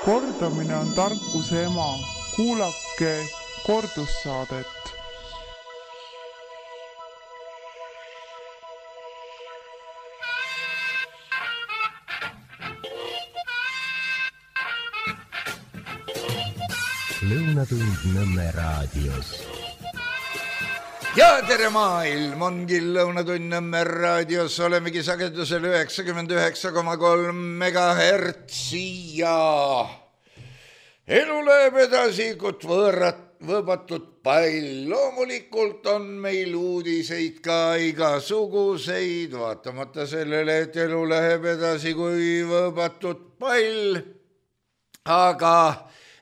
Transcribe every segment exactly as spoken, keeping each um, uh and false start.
Kordamine on tarkuse ema. Kuulake kordussaadet. Lõunatund Nõmme raadios. Ja tere maailm, ongi Lõunatund Nõmme raadios, olemegi sagedusel üheksakümmend üheksa koma kolm megahertsi ja elu läheb edasi, kui võõrat, võõbatud pall. Loomulikult on meil uudiseid ka igasuguseid, vaatamata sellele, et elu läheb edasi kui võõbatud pall, aga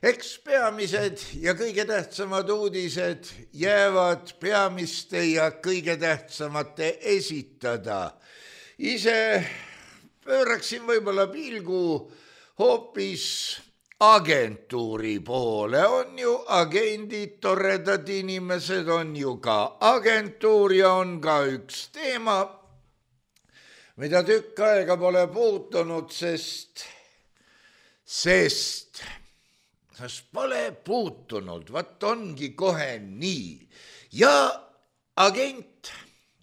eks peamised ja kõige tähtsamad uudised jäävad peamiste ja kõige tähtsamate esitada. Ise pööraksin võib-olla pilgu hoopis agentuuri poole. On ju agendid, toredad inimesed, on ju ka agentuur ja on ka üks teema, mida tükk aega pole puutunud, sest, sest sest pole puutunud, vaat ongi kohe nii. Ja agent,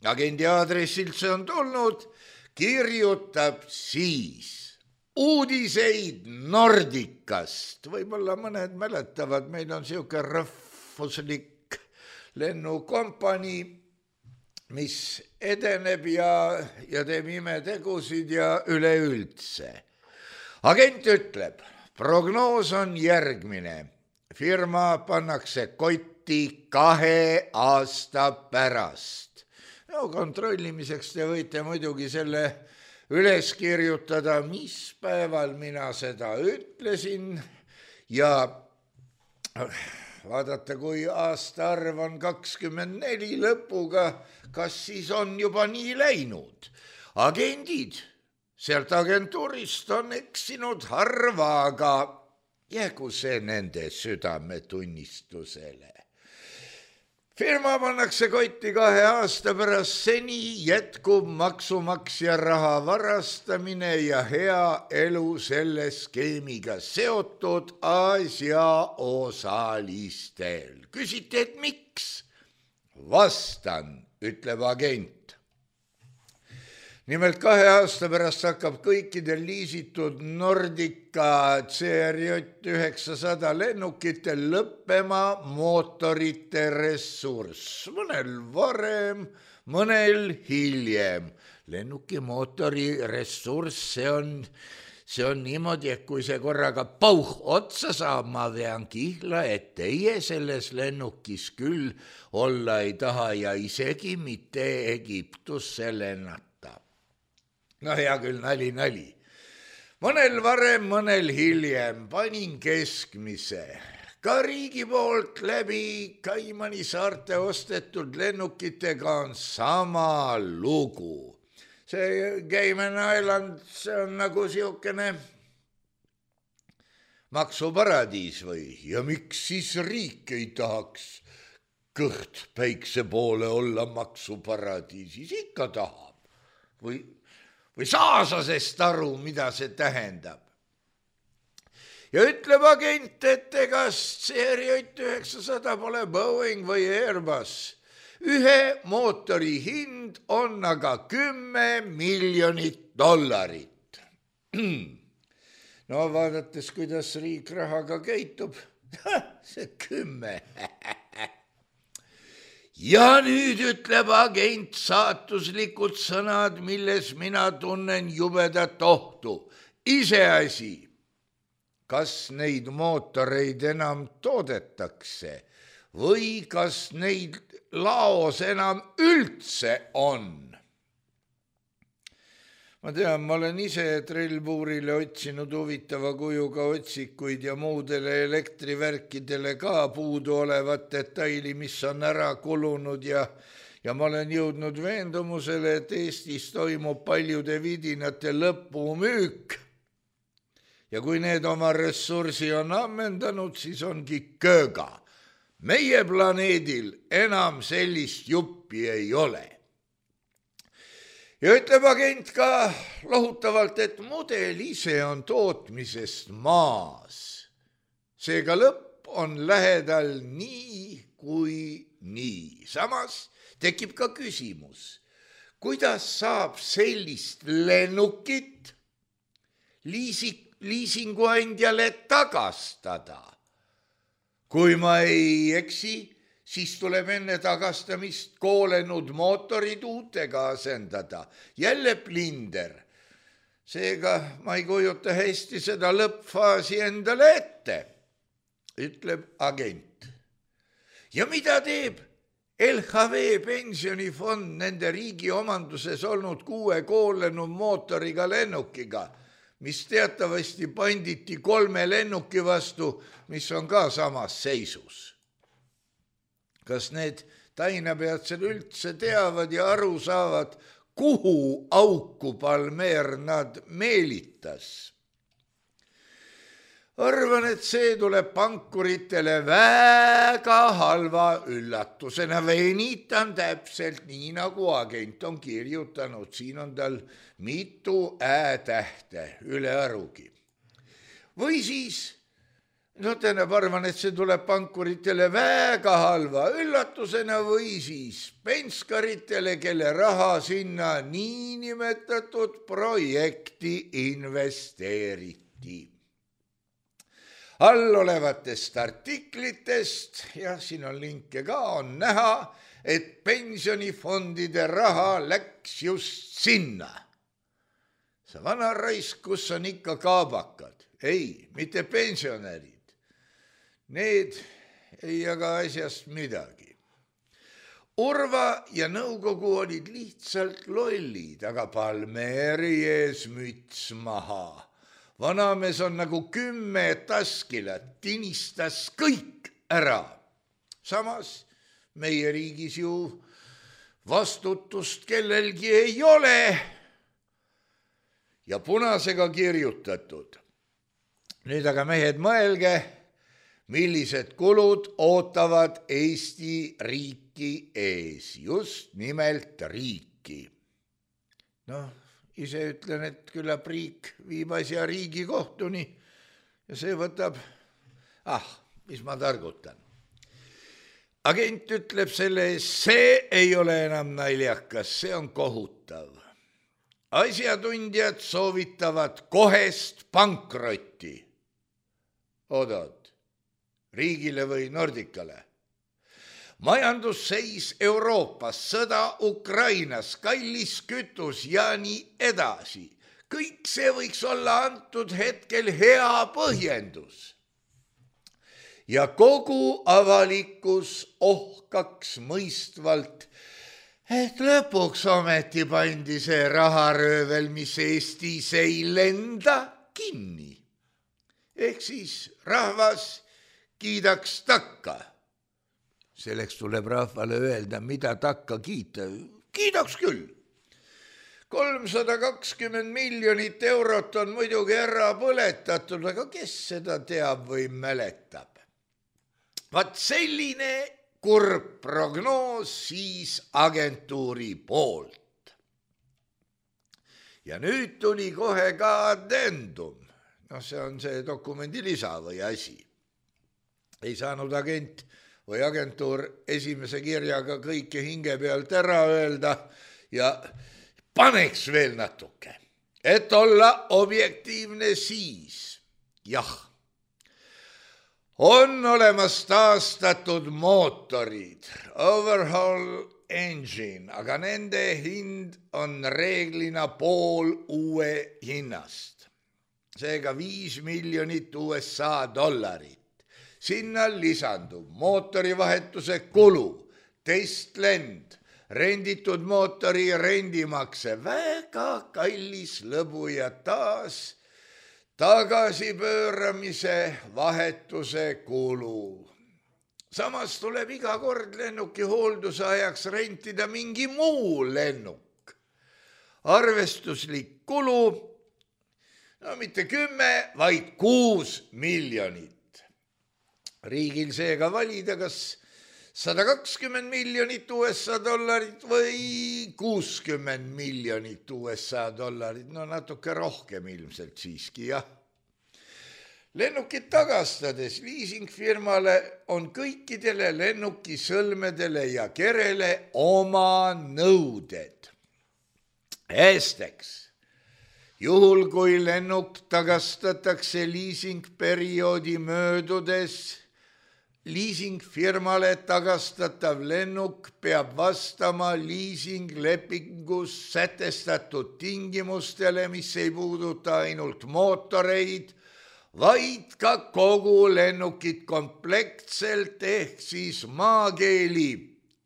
agendi aadressilt see on tulnud, kirjutab siis uudiseid Nordicast. Võib-olla mõned mäletavad, meil on siuke rahvuslik lennukompanii, mis edeneb ja, ja teeb imetegusid ja üleüldse. Agent ütleb, prognoos on järgmine. Firma pannakse kotti kahe aasta pärast. No kontrollimiseks te võite muidugi selle üles kirjutada, mis päeval mina seda ütlesin ja vaadata, kui aastaarv on kakskümmend neli lõpuga, kas siis on juba nii läinud. Agendid sealt agentuurist on eksinud harva, aga jäägu see nende südametunnistusele. Firma pannakse kotti kahe aasta pärast, seni jätkub maksumaksja raha varastamine ja hea elu selle skeemiga seotud asjaosalistel. Küsite, et miks? Vastan, ütleb agent. Nimelt kahe aasta pärast hakkab kõikidel liisitud Nordica C R J üheksasada lennukitel lõppema mootorite ressurss. Mõnel varem, mõnel hiljem. Lennuki mootori ressurss, see on, see on niimoodi, et kui see korraga pauh otsa saab, ma vean kihla, et teie selles lennukis küll olla ei taha ja isegi mitte Egiptusse lennata. No hea küll, nali, nali. Mõnel varem, mõnel hiljem, panin keskmise. Ka riigi poolt läbi Kaimani saarte ostetud lennukitega on sama lugu. See Cayman Island, see on nagu siukene maksuparadiis või? Ja miks siis riik ei tahaks kõht päikse poole olla maksuparadiisis? Ikka tahab. Või... või saa sa sest aru, mida see tähendab. Ja ütleb agent, et ega C R J üheksasada pole Boeing või Airbus. Ühe mootori hind on aga kümme miljonit dollarit. No vaadates, kuidas riik rahaga käitub, see kümme. Ja nüüd ütleb agent saatuslikud sõnad, milles mina tunnen jubedat ohtu. Iseasi, kas neid mootoreid enam toodetakse või kas neid laos enam üldse on. Ma tean, ma olen ise trellpuurile otsinud huvitava kujuga otsikuid ja muudele elektrivärkidele ka puudu olevat detaili, mis on ära kulunud ja, ja ma olen jõudnud veendumusele, et Eestis toimub paljude vidinate lõpumüük. Ja kui need oma ressursi on ammendanud, siis ongi kööga. Meie planeedil enam sellist juppi ei ole. ja ütleb agent ka lohutavalt, et mudel ise on tootmisest maas. Seega lõpp on lähedal nii kui nii. Samas tekib ka küsimus, kuidas saab sellist lennukit liisi, liisinguandjale tagastada? Kui ma ei eksi, siis tuleb enne tagastamist koolenud mootorid uutega asendada. Jälle plinder. Seega ma ei kujuta hästi seda lõppfaasi endale ette, ütleb agent. Ja mida teeb L H V pensionifond nende riigi omanduses olnud kuue koolenud mootoriga lennukiga, mis teatavasti panditi kolme lennuki vastu, mis on ka samas seisus? Kas need tainapeatsed üldse teavad ja aru saavad, kuhu auku Palmér nad meelitas? Arvan, et see tuleb pankuritele väga halva üllatusena. Venitan täpselt nii, nagu agent on kirjutanud. Siin on tal mitu ä-tähte üle arugi. Või siis, no tähendab, arvan, et see tuleb pankuritele väga halva üllatusena või siis penskaritele, kelle raha sinna niinimetatud projekti investeeriti. All olevatest artiklitest, ja siin on linke ka, on näha, et pensionifondide raha läks just sinna. See vana raisk, kus on ikka kaabakad. Ei, mitte pensionärid. Need ei jaga asjast midagi. Urva ja nõukogu olid lihtsalt lollid, aga Palméri ees müts maha. Vanamees on nagu kümme taskilat, tinistas kõik ära. Samas meie riigis ju vastutust kellelgi ei ole ja punasega kirjutatud. Nüüd aga mehed mõelge, millised kulud ootavad Eesti riiki ees, just nimelt riiki. Noh, ise ütlen, et küllap riik viib asja Riigikohtuni ja see võtab, ah, mis ma targutan. Agent ütleb selle ees, see ei ole enam naljakas, see on kohutav. Asjatundjad soovitavad kohest pankrotti. Oodad, riigile või Nordicale? Majandusseis Euroopas, sõda Ukrainas, kallis kütus ja nii edasi. Kõik see võiks olla antud hetkel hea põhjendus. Ja kogu avalikkus ohkaks mõistvalt, et lõpuks ometi pandi see raharöövel, mis Eestis ei lenda, kinni. Ehk siis rahvas kiidaks takka. Selleks tuleb rahvale öelda, mida takka kiita. Kiidaks küll. kolmsada kakskümmend miljonit eurot on muidugi ära põletatud, aga kes seda teab või mäletab? Vaat selline kurb prognoos siis agentuuri poolt. Ja nüüd tuli kohe ka addendum. No see on see dokumendi lisa või asi. Ei saanud agent või agentuur esimese kirjaga kõike hinge pealt ära öelda ja paneks veel natuke, et olla objektiivne siis. Jah, on olemas taastatud mootorid, overhaul engine, aga nende hind on reeglina pool uue hinnast. Seega viis miljonit U S A dollarit. Sinna lisandub mootorivahetuse kulu, testlend, renditud mootori rendimakse, väga kallis lõbu ja taas tagasipööramise vahetuse kulu. Samas tuleb iga kord lennuki hoolduse ajaks rentida mingi muu lennuk. Arvestuslik kulu, no mitte kümme, vaid kuus miljonit. Riigil seega valida, kas sada kakskümmend miljonit U S A dollarit või kuuskümmend miljonit U S A dollarit, no natuke rohkem ilmselt siiski, jah. Lennukit tagastades liisingfirmale on kõikidele lennukisõlmedele ja kerele oma nõuded. Esiteks, juhul kui lennuk tagastatakse liisingperioodi möödudes, liisingfirmale tagastatav lennuk peab vastama liisinglepingus sätestatud tingimustele, mis ei puuduta ainult mootoreid, vaid ka kogu lennukit komplektselt ehk siis maakeeli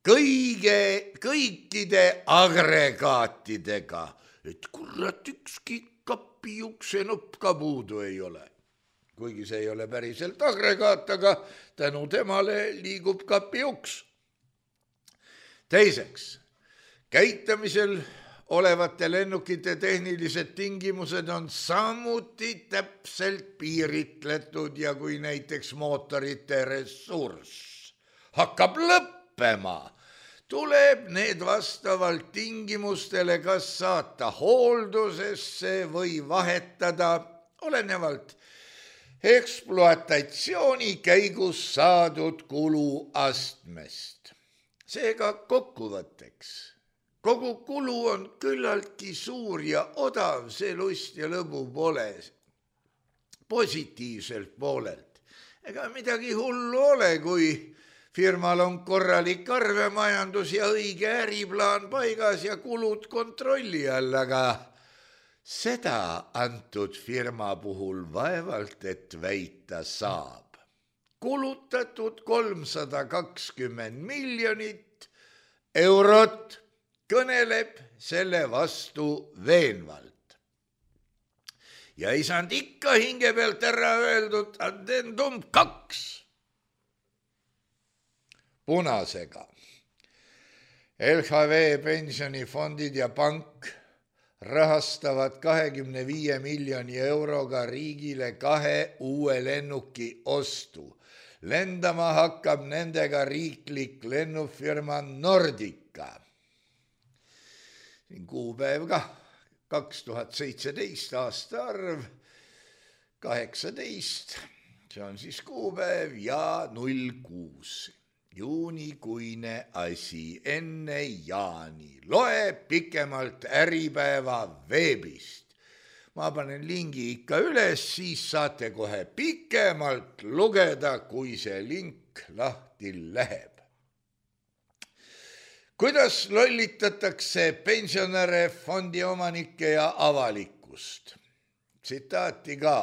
kõige, kõikide agregaatidega, et kurat ükski kapi uksenupp ka puudu ei ole. Kuigi see ei ole päriselt agregaat, aga tänu temale liigub kapi uks. Teiseks, käitamisel olevate lennukite tehnilised tingimused on samuti täpselt piiritletud ja kui näiteks mootorite ressurss hakkab lõppema, tuleb need vastavalt tingimustele kas saata hooldusesse või vahetada olenevalt ekspluatatsiooni käigus saadud kuluastmest. Seega kokkuvõtteks. Kogu kulu on küllaltki suur ja odav, see lust ja lõbu pole positiivselt poolelt. Ega midagi hullu ole, kui firmal on korralik arvemajandus ja õige äriplaan paigas ja kulud kontrolli all, aga seda antud firma puhul vaevalt, et väita saab. Kulutatud kolmsada kakskümmend miljonit eurot kõneleb selle vastu veenvalt. Ja ei saanud ikka hinge pealt ära öeldud addendum kaks. Punasega. L H V pensionifondid ja pank rahastavad kahekümne viie miljoni euroga riigile kahe uue lennuki ostu. Lendama hakkab nendega riiklik lennufirma Nordica. Siin kuupäev ka, kaks tuhat seitseteist aasta arv, kaheksateist, see on siis kuupäev ja null kuus. Juunikuine asi enne jaani. Loe pikemalt Äripäeva veebist. Ma panen lingi ikka üles, siis saate kohe pikemalt lugeda, kui see link lahti läheb. Kuidas lollitatakse pensionäre, fondiomanikke ja avalikkust? Tsitaati ka.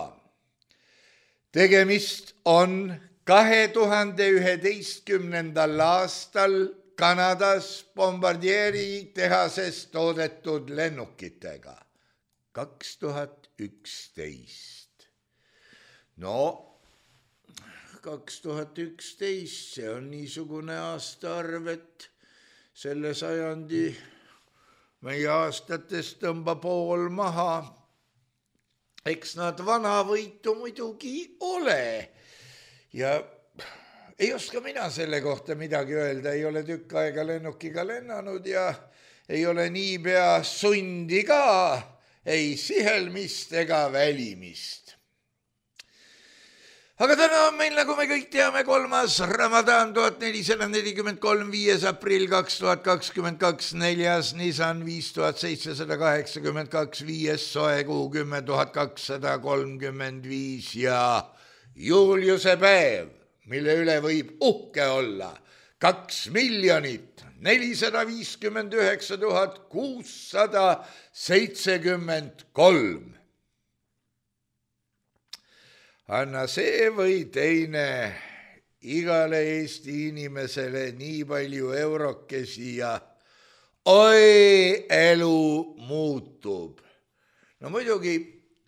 Tegemist on kahe tuhande üheteistkümnendal aastal Kanadas Bombardieri tehases toodetud lennukitega. kaks tuhat üksteist. No, kaks tuhat üksteist, see on niisugune aastaarv, et selle sajandi meie aastatest tõmba pool maha. Eks nad vanavõitu muidugi ole. Ja ei oska mina selle kohta midagi öelda, ei ole tükk aega lennukiga lennanud ja ei ole niipea sundi ka, ei sihelmist ega välimist. Aga täna on meil, nagu me kõik teame, kolmas Ramadan tuhat nelisada nelikümmend kolm, viies aprill kaks tuhat kakskümmend kaks, neljas Nissan viis tuhat seitsesada kaheksakümmend kaks, viies soe kuu kümme tuhat kakssada kolmkümmend viis ja Juliuse päev, mille üle võib uhke olla, kaks miljonit nelisada viiskümmend üheksa tuhat kuussada seitsekümmend kolm. Anna see või teine igale Eesti inimesele nii palju eurokesi ja oi, elu muutub. No muidugi,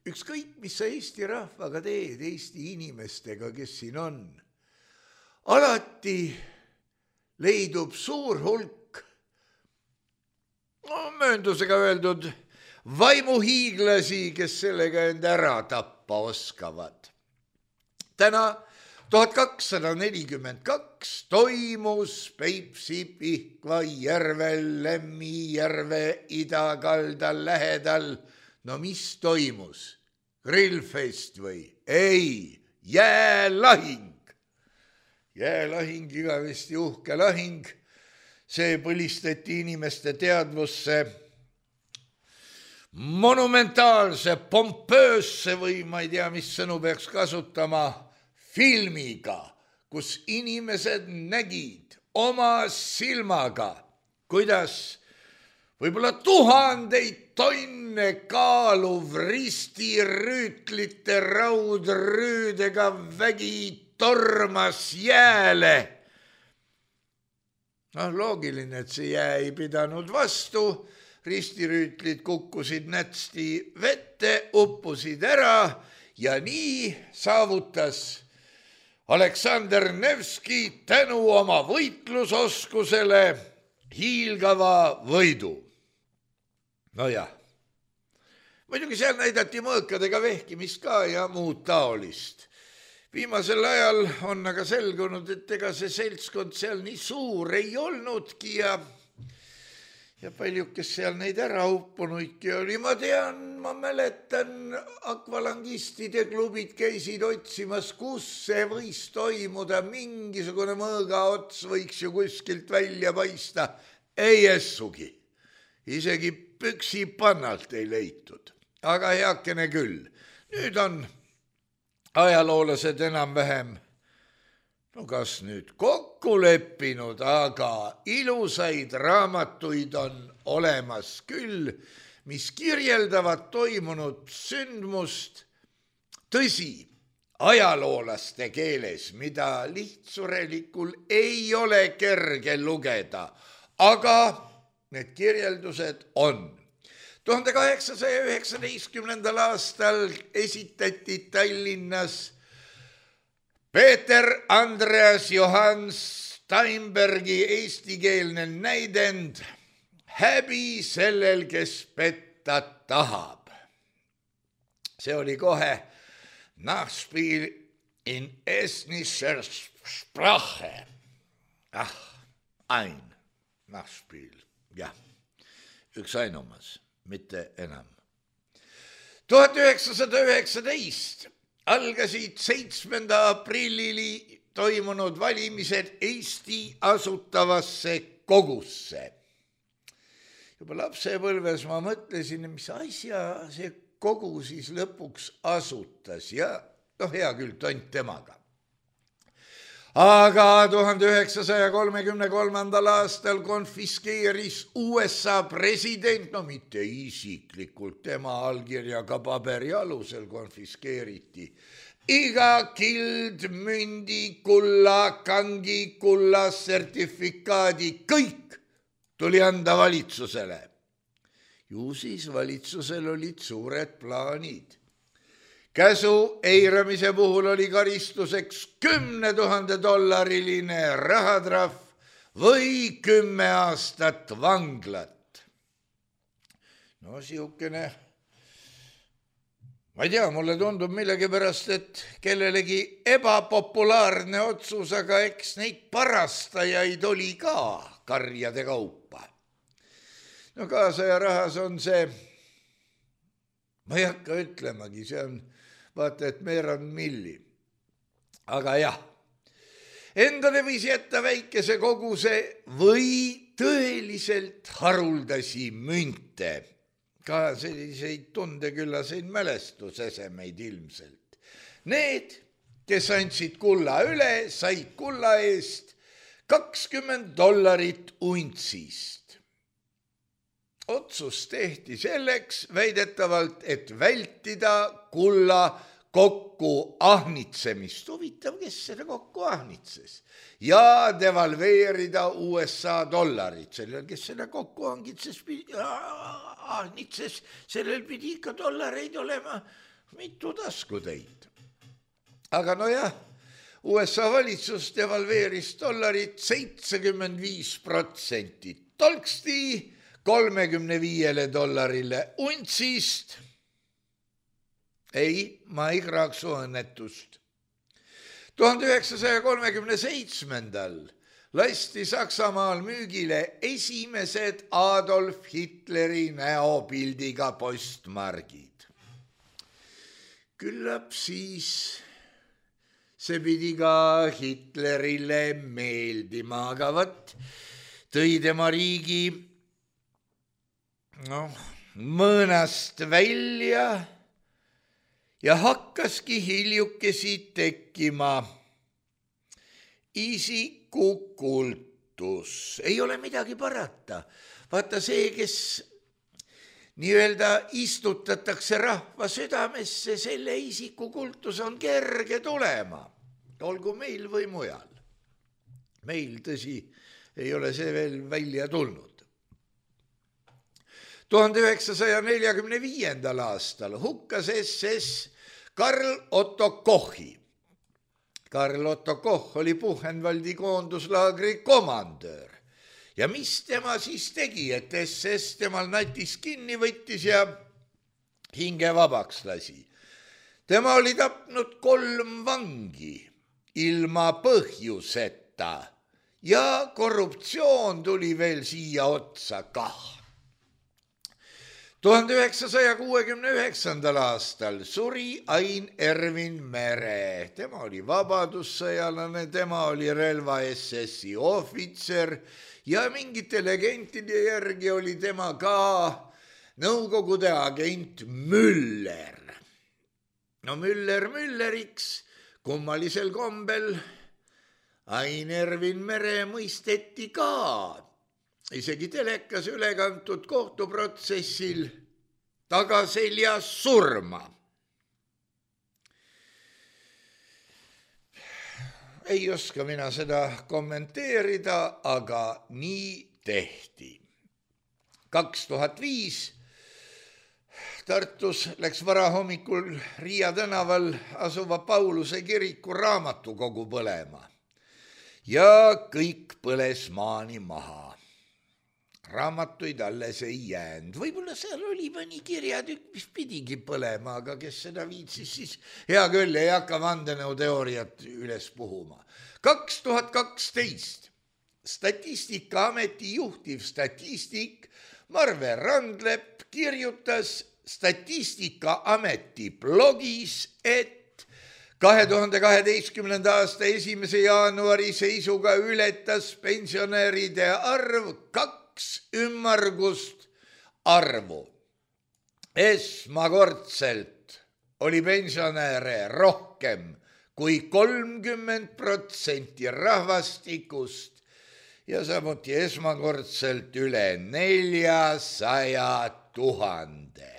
ükskõik, mis sa Eesti rahvaga teed, Eesti inimestega, kes siin on, alati leidub suur hulk, no mööndusega öeldud, vaimuhiiglasi, kes sellega end ära tappa oskavad. Täna tuhat kakssada nelikümmend kaks toimus Peipsi Pihkva järvel Lemmijärve idakaldal lähedal. No mis toimus? Grillfest või? Ei, jäälahing. Jäälahing, igavesti uhke lahing. See põlistati inimeste teadvusse monumentaalse, pompöösse või ma ei tea, mis sõnu peaks kasutama, filmiga, kus inimesed nägid oma silmaga, kuidas võib-olla tuhandeid tonne kaaluv ristirüütlite raudrüüdega vägi tormas jääle. No loogiline, et see jää ei pidanud vastu, ristirüütlid kukkusid nätsti vette, uppusid ära ja nii saavutas Aleksander Nevski tänu oma võitlusoskusele hiilgava võidu. No jah, muidugi seal näidati mõõkadega vehkimist ka ja muud taolist. Viimasel ajal on aga selgunud, et ega see seltskond seal nii suur ei olnudki ja, ja palju, kes seal neid ära uppunuidki oli. Ma tean, ma mäletan, akvalangistide klubid käisid otsimas, kus see võis toimuda, mingisugune mõõgaots võiks ju kuskilt välja paista. Ei essugi, isegi püksi pannalt ei leitud, aga heakene küll. Nüüd on ajaloolased enam-vähem, no kas nüüd kokku leppinud, aga ilusaid raamatuid on olemas küll, mis kirjeldavad toimunud sündmust, tõsi, ajaloolaste keeles, mida lihtsurelikul ei ole kerge lugeda, aga need kirjeldused on. tuhande kaheksasaja üheksateistkümnendal aastal esitati Tallinnas Peeter Andreas Johann Steinbergi eestikeelne näidend Häbi sellel, kes petta tahab. See oli kohe Nachspiel in estnischer Sprache. Ah, ein Nachspiel, jah, üks ainumas. Mitte enam. tuhat üheksasada üheksateist algasid seitsmenda aprillili toimunud valimised Eesti asutavasse kogusse. Juba lapsepõlves ma mõtlesin, mis asja see kogu siis lõpuks asutas ja noh, hea küll, tont temaga. Aga tuhande üheksasaja kolmekümne kolmandal aastal konfiskeeris U S A president, no mitte isiklikult, tema allkirjaga paberi alusel konfiskeeriti, iga kild, mündi, kulla, kangi, kulla, sertifikaadi, kõik tuli anda valitsusele. Ju siis valitsusel olid suured plaanid. Käsu eiramise puhul oli karistuseks kümne tuhande dollariline rahatrahv või kümme aastat vanglat. No siukene, ma ei tea, mulle tundub millegipärast, et kellelegi ebapopulaarne otsus, aga eks neid parastajaid oli ka karjade kaupa. No kaasaja rahas on see, ma ei hakka ütlemagi, see on vaata, et meerand milli. Aga jah, endale võis jätta väikese koguse või tõeliselt haruldasi münte. Ka selliseid tundeküllaseid mälestusesemeid ilmselt. Need, kes andsid kulla üle, said kulla eest kakskümmend dollarit untsist. Otsus tehti selleks väidetavalt, et vältida kulla kokku ahnitsemist. Huvitav, kes seda kokku ahnitses? Ja devalveerida U S A dollarit. Sellel, kes seda kokku ahnitses, ahnitses, sellel pidi ikka dollareid olema mitu taskutäit. Aga no jah, U S A valitsus devalveeris dollarit seitsekümmend viis protsenti. Tolksti kolmekümne viiele dollarile untsist. Ei, ma ei kraaksu õnnetust. tuhande üheksasaja kolmekümne seitsmendal lasti Saksamaal müügile esimesed Adolf Hitleri näopildiga postmargid. Küllap siis see pidi ka Hitlerile meeldima, aga võt tõi tema riigi noh, mõõnast välja ja hakkaski hiljukesi tekkima isikukultus. Ei ole midagi parata. Vaata see, kes nii-öelda istutatakse rahva südamesse, selle isikukultus on kerge tulema. Olgu meil või mujal. Meil tõsi ei ole see veel välja tulnud. tuhande üheksasaja neljakümne viiendal aastal hukkas S S Karl Otto Kochi. Karl Otto Koch oli Buchenwaldi koonduslaagri komandöör. Ja mis tema siis tegi, et S S temal natis kinni võttis ja hinge vabaks lasi? Tema oli tapnud kolm vangi ilma põhjuseta ja korruptsioon tuli veel siia otsa kah. tuhande üheksasaja kuuekümne üheksandal aastal suri Ain Ervin Mere. Tema oli vabadussõjalane, tema oli relva S S-i ohvitser ja mingite legendide järgi oli tema ka Nõukogude agent Müller. No Müller Mülleriks, kummalisel kombel Ain Ervin Mere mõisteti ka isegi telekas ülekantud kohtuprotsessil tagaselja surma. Ei oska mina seda kommenteerida, aga nii tehti. kaks tuhat viis Tartus läks varahommikul Riia tänaval asuva Pauluse kiriku raamatukogu põlema ja kõik põles maani maha. Raamatuid alles ei jäänud. Võib-olla seal oli mõni kirjatükk, mis pidigi põlema, aga kes seda viitsis, siis hea küll, ei hakka vandenõuteooriat üles puhuma. kaks tuhat kaksteist Statistikaameti juhtiv statistik Marve Randlepp kirjutas Statistikaameti blogis, et kahe tuhande kaheteistkümnenda aasta esimese jaanuari seisuga ületas pensionäride arv kaks ümmargust arvu. Esmakordselt oli pensionäre rohkem kui kolmkümmend protsenti rahvastikust ja samuti esmakordselt üle neljasaja tuhande.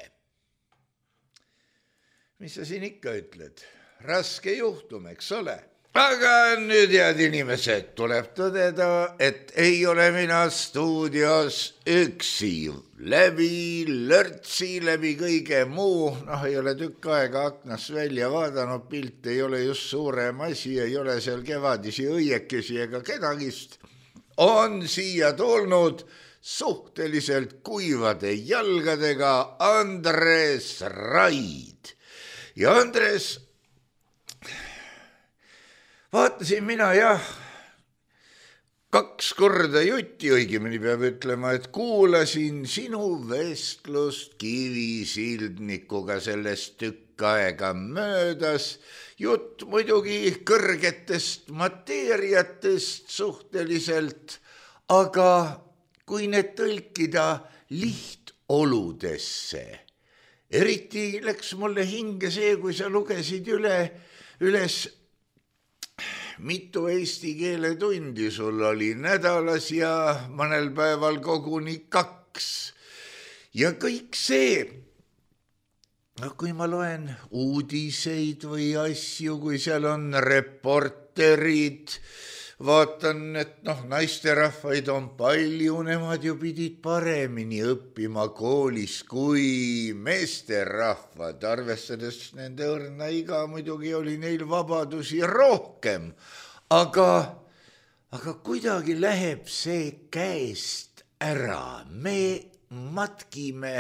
Mis sa siin ikka ütled? Raske juhtum, eks ole? Aga nüüd, head inimesed, tuleb tõdeda, et ei ole mina stuudios üksi. Läbi lörtsi, läbi kõige muu, noh, ei ole tükk aega aknast välja vaadanud, pilt ei ole just suurem asi, ei ole seal kevadisi õiekesi ega kedagist. On siia tulnud suhteliselt kuivade jalgadega Andres Raid. Ja Andres... Vaatasin mina jah, kaks korda jutti, õigemini peab ütlema, et kuulasin sinu vestlust Kivisildnikuga sellest tükk aega möödas. Jutt muidugi kõrgetest mateeriatest suhteliselt, aga kui need tõlkida lihtoludesse, eriti läks mulle hinge see, kui sa lugesid üle, üles mitu eesti keele tundi sul oli nädalas ja mõnel päeval koguni kaks. Ja kõik see, kui ma loen uudiseid või asju, kui seal on reporterid, vaatan, et noh, naisterahvaid on palju, nemad ju pidid paremini õppima koolis kui meesterahvad, arvestades nende õrna iga, muidugi oli neil vabadusi rohkem, aga, aga kuidagi läheb see käest ära, me matkime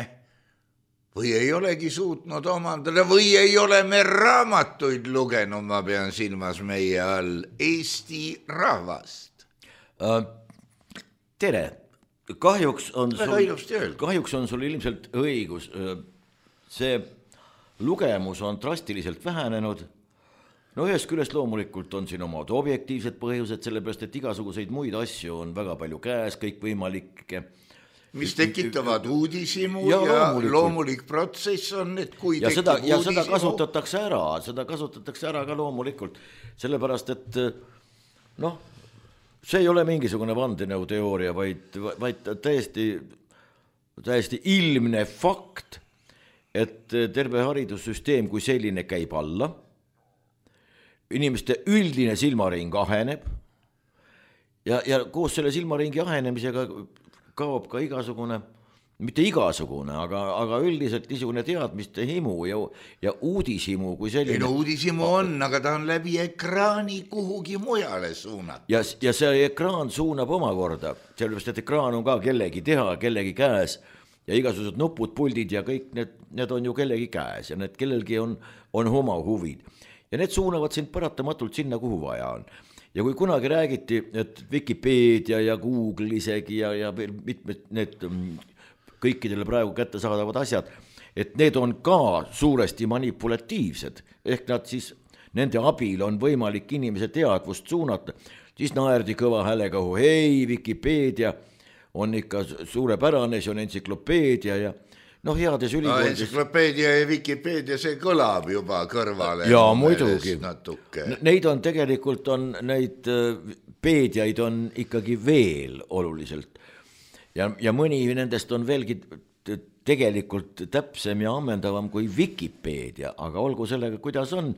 või ei olegi suutnud omandada või ei ole me raamatuid lugenud, ma pean silmas meie all Eesti rahvast. Tere, kahjuks on sul, kahjuks on sul ilmselt õigus. See lugemus on drastiliselt vähenenud. No ühest küljest loomulikult on siin omad objektiivsed põhjused, sellepärast, et igasuguseid muid asju on väga palju käes, kõik võimalikke. Mis tekitavad uudisimu ja, ja loomulik. loomulik protsess on, et kui ja tekib seda, ja uudisimu. seda kasutatakse ära, seda kasutatakse ära ka loomulikult, sellepärast, et noh, see ei ole mingisugune vandenõuteooria, vaid, vaid täiesti, täiesti ilmne fakt, et terve haridussüsteem kui selline käib alla, inimeste üldine silmaring aheneb ja, ja koos selle silmaringi ahenemisega kaob ka igasugune, mitte igasugune, aga, aga üldiselt niisugune teadmiste himu ja, ja uudishimu kui selline. Ei no uudishimu on, aga ta on läbi ekraani kuhugi mujale suunata. Ja, ja see ekraan suunab omakorda, sellepärast, et ekraan on ka kellegi teha, kellegi käes ja igasugused nupud, puldid ja kõik need, need on ju kellegi käes ja need kellelgi on, on oma huvid. Ja need suunavad sind paratamatult sinna, kuhu vaja on. Ja kui kunagi räägiti, et Wikipedia ja Google isegi ja, ja mitmed need kõikidele praegu kätte saadavad asjad, et need on ka suuresti manipulatiivsed, ehk nad siis, nende abil on võimalik inimese teadvust suunata, siis naerdi kõva häälega, hei, Wikipedia on ikka suurepärane, see on entsüklopeedia ja noh, heades ülikoolides... No, entsüklopeedia ja Wikipeedia, see kõlab juba kõrvale. Jaa, muidugi. Neid on tegelikult, on, neid peediaid on ikkagi veel oluliselt. Ja, ja mõni nendest on veelgi tegelikult täpsem ja ammendavam kui Wikipeedia, aga olgu sellega, kuidas on.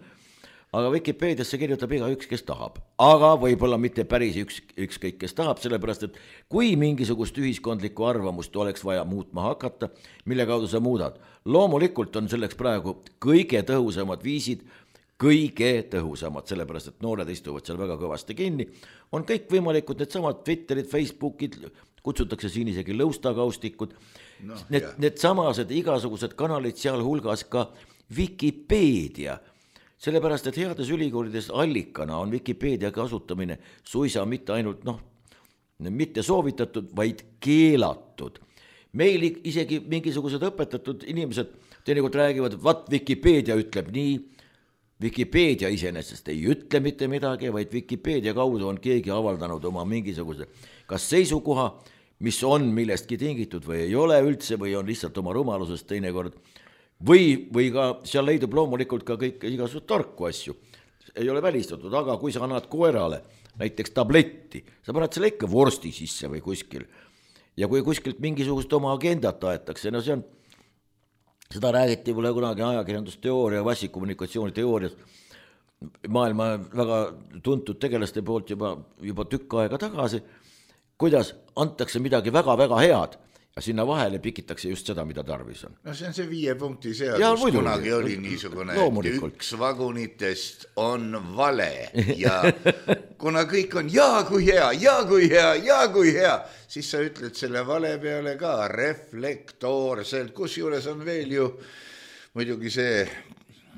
Aga Wikipediasse kirjutab iga üks, kes tahab. Aga võib-olla mitte päris üks, üks kõik, kes tahab, sellepärast, et kui mingisugust ühiskondlikku arvamust oleks vaja muutma hakata, mille kaudu sa muudad. Loomulikult on selleks praegu kõige tõhusamad viisid, kõige tõhusamad, sellepärast, et noored istuvad seal väga kõvasti kinni. On kõik võimalikud need samad Twitterid, Facebookid, kutsutakse siin isegi lõustakaustikud. No, need, need samased igasugused kanalid seal hulgas ka Wikipedia. Sellepärast, et heades ülikoolides allikana on Wikipedia kasutamine suisa mitte ainult, noh, mitte soovitatud, vaid keelatud. Meil isegi mingisugused õpetatud inimesed teinekord räägivad, et vaat Wikipedia ütleb nii, Wikipedia iseenesest ei ütle mitte midagi, vaid Wikipedia kaudu on keegi avaldanud oma mingisuguse kas seisukoha, mis on millestki tingitud või ei ole üldse või on lihtsalt oma rumalusest teinekord. Või, või ka seal leidub loomulikult ka kõik igasugused tarku asju. Ei ole välistatud, aga kui sa annad koerale näiteks tabletti, sa paned selle ikka vorsti sisse või kuskil. Ja kui kuskilt mingisugust oma agendat aetakse, no see on, seda räägiti mulle kunagi ajakirjandusteooria, vassikommunikatsiooniteoorias maailma väga tuntud tegelaste poolt juba, juba tükk aega tagasi, kuidas antakse midagi väga-väga head, ja sinna vahele pikitakse just seda, mida tarvis on. No see on see viie punkti seadus, kunagi oli niisugune, et üks vagunitest on vale ja kuna kõik on jaa kui hea, jaa kui hea, jaa kui hea, siis sa ütled selle vale peale ka reflektoorselt, kus juures on veel ju muidugi see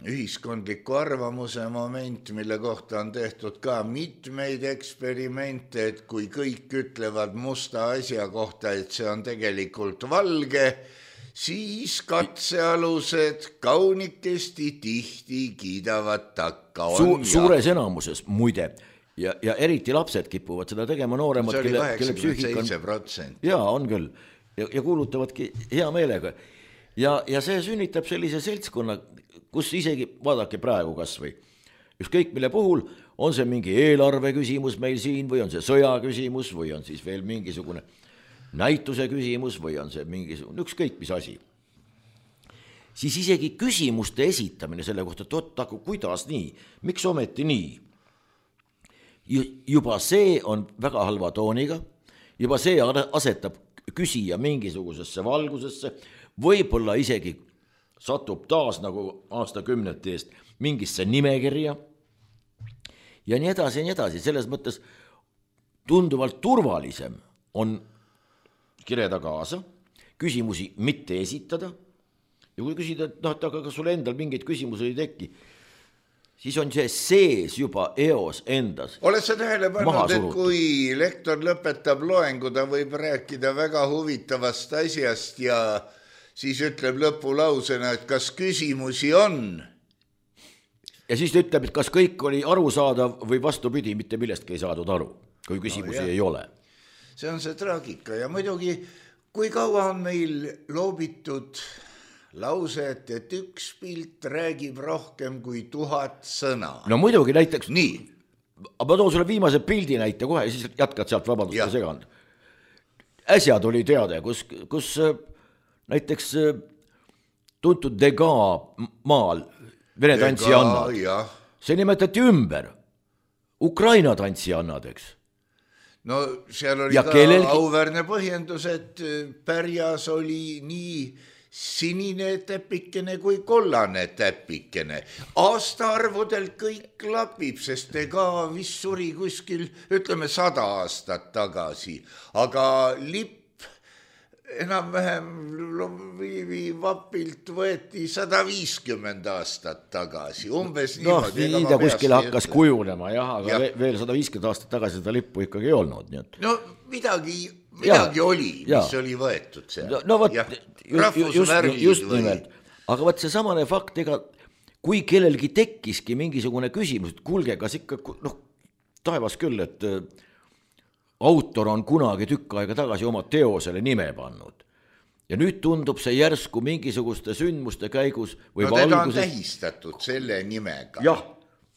ühiskondliku arvamuse moment, mille kohta on tehtud ka mitmeid eksperimente, et kui kõik ütlevad musta asja kohta, et see on tegelikult valge, siis katsealused kaunikesti tihti kiidavad takka. Su- suures enamuses, muide, ja, ja eriti lapsed kipuvad seda tegema nooremad, see oli kaheksakümmend seitse protsenti. Jaa, on küll. Ja, ja kuulutavadki hea meelega. Ja, ja see sünnitab sellise seltskonna, kus isegi, vaadake praegu kas või, ükskõik mille puhul, on see mingi eelarve küsimus meil siin või on see sõja küsimus või on siis veel mingisugune näituse küsimus või on see mingisugune, ükskõik mis asi. Siis isegi küsimuste esitamine selle kohta, et oot, aga kuidas nii, miks ometi nii? Juba see on väga halva tooniga, juba see asetab küsija mingisugusesse valgusesse, võib-olla isegi satub taas nagu aastakümnete eest mingisse nimekirja ja nii edasi ja nii edasi. Selles mõttes tunduvalt turvalisem on kirjada kaasa, küsimusi mitte esitada ja kui küsida, et noh, et aga kas sul endal mingeid küsimusi ei teki, siis on see sees juba eos endas. Oled sa tähele pannud, et kui lektor lõpetab loengu, ta võib rääkida väga huvitavast asjast ja siis ütleb lõpulausena, et kas küsimusi on? Ja siis ta ütleb, et kas kõik oli arusaadav või vastupidi, mitte millestki ei saadud aru, kui küsimusi no, ei ole. See on see traagika ja muidugi, kui kaua on meil loobitud lauset, et üks pilt räägib rohkem kui tuhat sõna. No muidugi näiteks, nii. Ma toon sulle viimase pildi näite kohe ja siis jätkad sealt vabandust ja segand. Äsja tuli teade, kus, kus näiteks tuntud Degas maal Vene tantsijannad. See nimetati ümber Ukraina tantsijannadeks. No seal oli ja ka kellelgi... auväärne põhjendus, et pärjas oli nii sinine täpikene kui kollane täpikene. Aastaarvudel kõik klapib, sest ega vist suri kuskil, ütleme, sada aastat tagasi. Aga lipp enam-vähem vapilt võeti sada viiskümmend aastat tagasi, umbes no, niimoodi. No, nii ta kuskil hakkas ütle. Kujunema, jah, aga ja. veel sada viiskümmend aastat tagasi seda lippu ikkagi ei olnud. Nii et... No midagi, midagi ja. oli, mis ja. oli võetud seal. No, no võt, just, just, just nimelt. Aga võt see samane fakt, ega kui kellelgi tekkiski mingisugune küsimus, et kuulge, kas ikka, noh, taevas küll, et autor on kunagi tükk aega tagasi oma teosele nime pannud. Ja nüüd tundub see järsku mingisuguste sündmuste käigus või no teda alguses... on tähistatud selle nimega. Jah.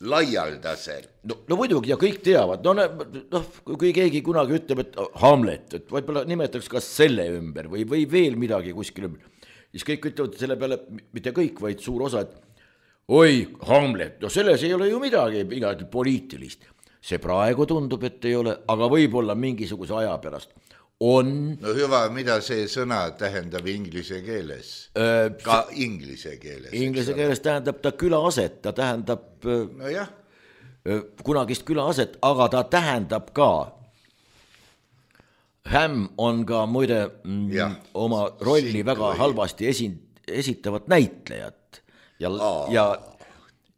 Laialdasel. No, no muidugi ja kõik teavad. No, no, kui keegi kunagi ütleb, et Hamlet, et võib-olla nimetaks kas selle ümber või, või veel midagi kuskil ümber, siis kõik ütlevad selle peale, mitte kõik, vaid suur osa, et oi, Hamlet, no selles ei ole ju midagi, midagi poliitilist. See praegu tundub, et ei ole, aga võib-olla mingisuguse aja pärast on... No hüva, mida see sõna tähendab inglise keeles? Öö, ka inglise keeles. Inglise keeles tähendab ta külaaset, ta tähendab no jah. kunagist külaaset, aga ta tähendab ka, Hämm on ka muide ja. oma rolli Siit väga või. halvasti esi, esitavat näitlejat ja, ja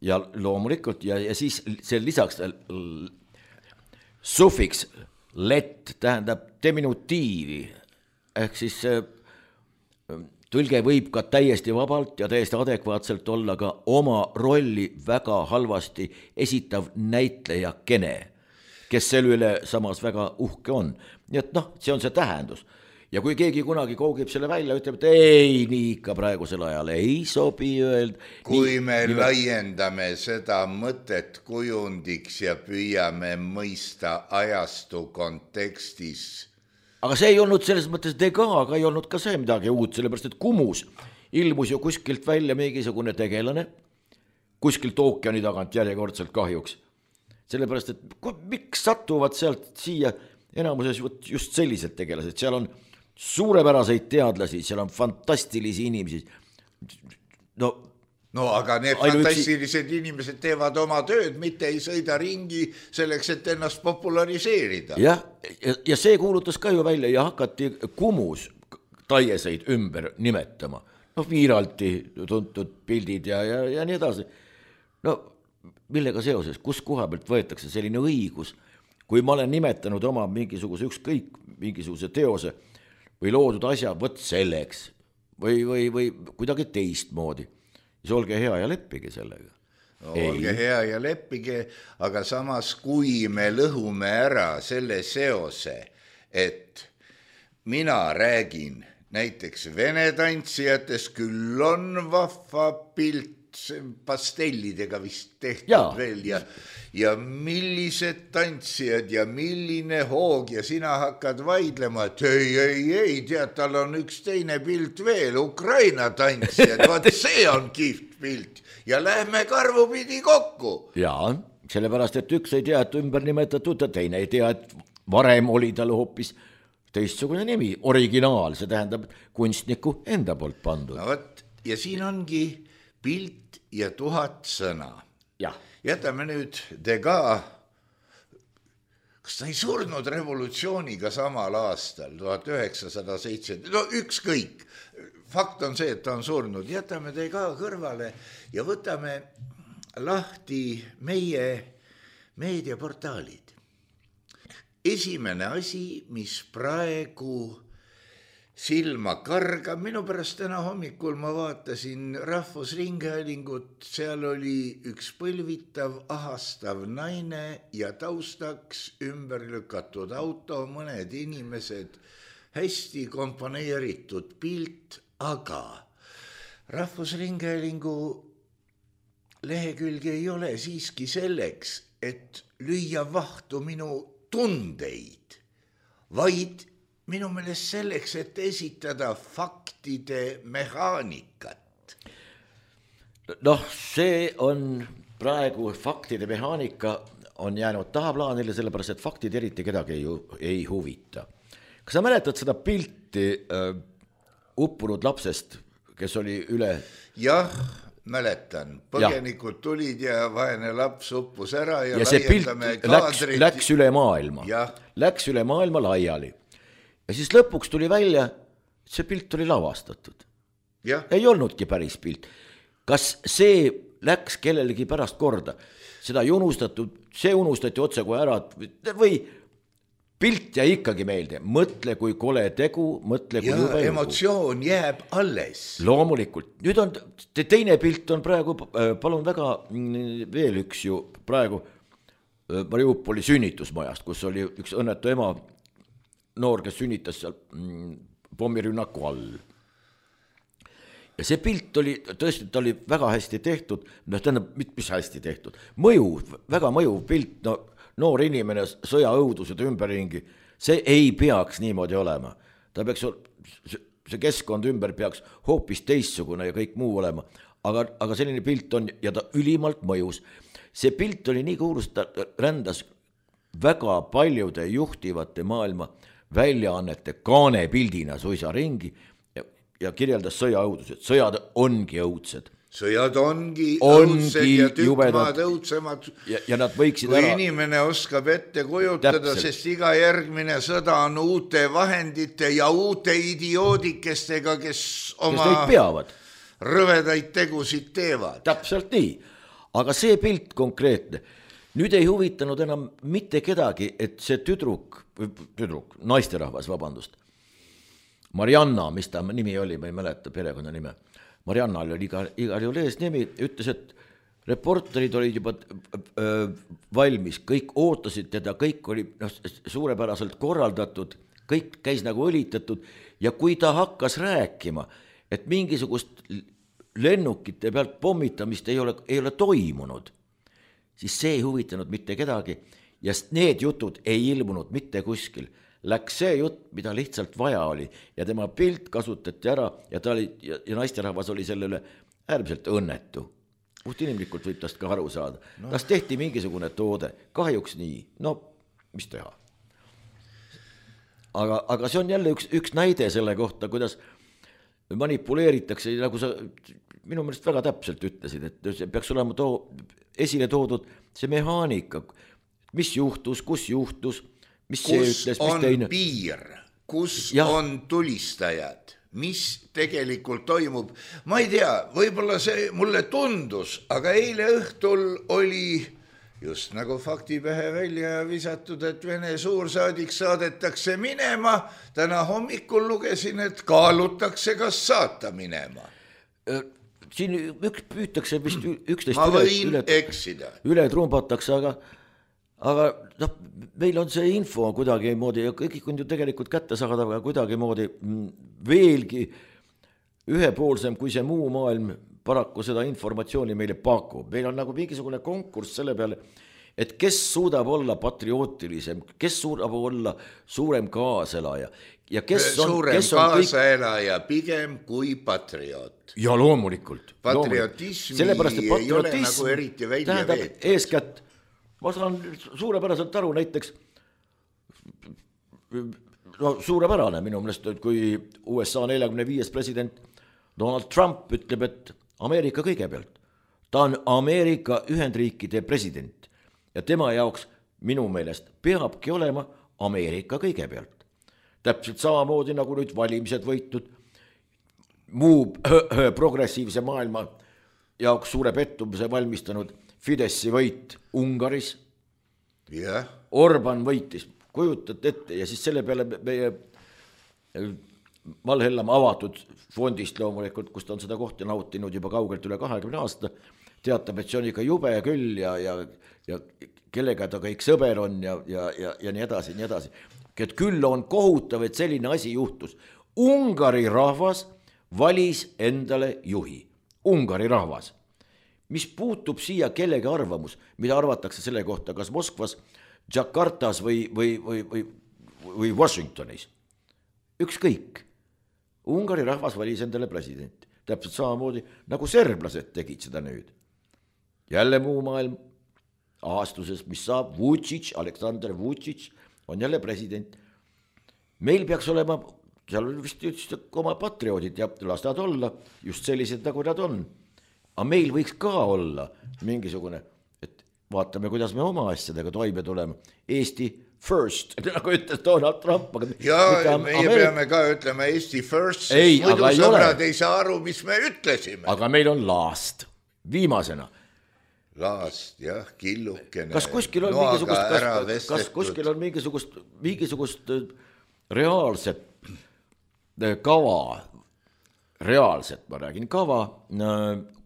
ja loomulikult ja, ja siis see lisaks sufiks let tähendab diminutiivi ehk siis tõlge võib ka täiesti vabalt ja täiesti adekvaatselt olla ka oma rolli väga halvasti esitav näitlejakene, kes selle üle samas väga uhke on. Nii et noh, see on see tähendus. Ja kui keegi kunagi koogib selle välja, ütleb, et ei, nii ikka praegusel ajal ei sobi öelda. Kui nii, me nii... laiendame seda mõtet kujundiks ja püüame mõista ajastu kontekstis. Aga see ei olnud selles mõttes Degas, aga ei olnud ka see midagi uut, sellepärast et Kumus ilmus ju kuskilt välja mingisugune tegelane, kuskilt ookeani tagant järjekordselt kahjuks. Sellepärast, et miks satuvad sealt siia enamuses just sellised tegelased, seal on suurepäraseid teadlasi, seal on fantastilisi inimesi. No, no aga need fantastilised üksi... inimesed teevad oma tööd, mitte ei sõida ringi selleks, et ennast populariseerida. Ja, ja, ja see kuulutas ka ju välja ja hakati Kumus taieseid ümber nimetama. No Viiralti tuntud pildid ja, ja, ja nii edasi. No millega seoses, kus koha pealt võetakse selline õigus, kui ma olen nimetanud oma mingisuguse ükskõik mingisuguse teose või loodud asja, võt selleks või, või, või kuidagi teistmoodi. Siis olge hea ja leppige sellega. No, olge hea ja leppige, aga samas kui me lõhume ära selle seose, et mina räägin näiteks vene tantsijatest, küll on vahva pilt, pastellidega vist tehtud ja. veel ja, ja millised tantsijad ja milline hoog ja sina hakkad vaidlema, et ei, ei, ei, tead, tal on üks teine pilt veel, Ukraina tantsijad, vaat see on kihvt pilt ja lähme karvupidi kokku. Jaa, sellepärast, et üks ei tea, et ümber nimetatud ja teine ei tea, et varem oli tal hoopis teistsugune nimi, originaal, see tähendab kunstniku enda poolt pandud. No võt, ja siin ongi pilt ja tuhat sõna. Ja. Jätame nüüd Degas kas ta ei surnud revolutsiooniga samal aastal, tuhat üheksasada seitse, no ükskõik, fakt on see, et ta on surnud, jätame ta ka kõrvale ja võtame lahti meie meediaportaalid. Esimene asi, mis praegu silma kargab, minu pärast täna hommikul ma vaatasin Rahvusringhäälingut, seal oli üks põlvitav, ahastav naine ja taustaks ümber lükatud auto, mõned inimesed, hästi komponeeritud pilt, aga Rahvusringhäälingu lehekülge ei ole siiski selleks, et lüüa vahtu minu tundeid, vaid minu meelest selleks, et esitada faktide mehaanikat. Noh, see on praegu faktide mehaanika on jäänud tahaplaanile, sellepärast, et faktid eriti kedagi ei, ei huvita. Kas sa mäletad seda pilti äh, uppunud lapsest, kes oli üle... Jah, mäletan. Põgenikud tulid ja vaene laps uppus ära ja, ja see pilt läks, läks üle maailma. Ja. Läks üle maailma laiali. Ja siis lõpuks tuli välja, see pilt oli lavastatud. Ja. Ei olnudki päris pilt. Kas see läks kellelegi pärast korda? Seda ei unustatud, see unustati otse kui ära või pilt jäi ikkagi meelde. Mõtle, kui kole tegu, mõtle, kui ja juba juhu. Emotsioon jääb alles. Loomulikult. Nüüd on teine pilt on praegu, palun väga, veel üks ju praegu Mariupoli sünnitusmajast, kus oli üks õnnetu ema, noor, kes sünnitas seal pommirünnaku all. Ja see pilt oli, tõesti, ta oli väga hästi tehtud, no tähendab, mis hästi tehtud, mõjuv, väga mõjuv pilt, no noor inimene, sõjaõudused ümberringi, see ei peaks niimoodi olema. Ta peaks, see keskkond ümber peaks hoopis teistsugune ja kõik muu olema, aga, aga selline pilt on ja ta ülimalt mõjus. See pilt oli nii kuulus, ta rändas väga paljude juhtivate maailma väljaannete kaanepildina suisa ringi ja, ja kirjeldas sõjaõudused. Sõjad ongi õudsed. Sõjad ongi, ongi õudsed ja tükkmaad õudsemad. Ja, ja nad võiksid kui ära... inimene oskab ette kujutada, täpselt. Sest iga järgmine sõda on uute vahendite ja uute idioodikestega, kes oma kes rõvedaid tegusid teevad. Täpselt nii. Aga see pilt konkreetne, nüüd ei huvitanud enam mitte kedagi, et see tüdruk, tüdruk, naisterahvas, vabandust, Marianna, mis ta nimi oli, ma ei mäleta perekonna nime, Marianna oli igal, igal juhul ees nimi, ütles, et reporterid olid juba öö, valmis, kõik ootasid teda, kõik oli no, suurepäraselt korraldatud, kõik käis nagu õlitatud ja kui ta hakkas rääkima, et mingisugust lennukite pealt pommitamist ei ole, ei ole toimunud, siis see ei huvitanud mitte kedagi ja need jutud ei ilmunud mitte kuskil. Läks see jutt, mida lihtsalt vaja oli ja tema pilt kasutati ära ja, ta oli, ja, ja naisterahvas oli sellele äärmiselt õnnetu. Puht inimlikult võib tast ka aru saada. No. Tas tehti mingisugune toode, kahjuks nii, no mis teha. Aga, aga see on jälle üks, üks näide selle kohta, kuidas manipuleeritakse, nagu sa minu meelest väga täpselt ütlesid, et see peaks olema too, esile toodud see mehaanika, mis juhtus, kus juhtus, mis kus see ütles, mis on teine. Piir, kus ja. On tulistajad, mis tegelikult toimub. Ma ei tea, võib-olla see mulle tundus, aga eile õhtul oli just nagu faktipähe välja visatud, et Vene suursaadik saadetakse minema. Täna hommikul lugesin, et kaalutakse, kas saata minema. Siin üks püütakse vist üksteist ma võin üle, eksida. Üle trumpatakse, aga, aga no, meil on see info kuidagi moodi ja kõik on ju tegelikult kätte saada, aga kuidagi moodi veelgi ühepoolsem kui see muu maailm paraku seda informatsiooni meile pakub. Meil on nagu mingisugune konkurss selle peale, et kes suudab olla patriootilisem, kes suudab olla suurem kaaselaja. Ja kes on, suurem kes on kaasaelaja kõik... pigem kui patrioot. Ja loomulikult. Patriotismi loomulikult. ei ole nagu eriti välja veetud. Eeskätt, ma saan suurepäraselt aru näiteks, no suurepärane minu meelest, kui U S A neljakümne viies president Donald Trump ütleb, et Ameerika kõigepealt. Ta on Ameerika Ühendriikide president ja tema jaoks minu meelest peabki olema Ameerika kõigepealt. Täpselt samamoodi nagu nüüd valimised võitnud, muu progressiivse maailma jaoks suure pettumuse valmistanud Fideszi võit Ungaris. Yeah. Orban võitis, kujutad ette, ja siis selle peale meie Valhellam avatud fondist loomulikult, kus ta on seda kohta nautinud juba kaugelt üle kahekümne aasta, teatab, et see on ikka jube küll ja, ja, ja kellega ta kõik sõber on ja, ja, ja, ja nii edasi, nii edasi. Et küll on kohutav, et selline asi juhtus. Ungari rahvas valis endale juhi. Ungari rahvas. Mis puutub siia kellegi arvamus, mida arvatakse selle kohta, kas Moskvas, Jakartas või, või, või, või, või Washingtonis. Ükskõik. Ungari rahvas valis endale presidenti. Täpselt samamoodi, nagu serblased tegid seda nüüd. Jälle muu maailm aastuses, mis saab Vučić, Aleksandr Vučić on jälle president. Meil peaks olema, seal vist just oma patrioodid ja las nad olla, just sellised, nagu nad on. Aga meil võiks ka olla mingisugune, et vaatame, kuidas me oma asjadega toime tuleme. Eesti first, nagu ütles Donald Trump. Ja meie Ameerika... peame ka ütlema Eesti first, sest ei, muidu sõbrad ei, ei saa aru, mis me ütlesime. Aga meil on last, viimasena. Last, jah, killukene. Kas kuskil on mingisugust, kas, kas kuskil on mingisugust, mingisugust reaalset kava, reaalset, ma räägin, kava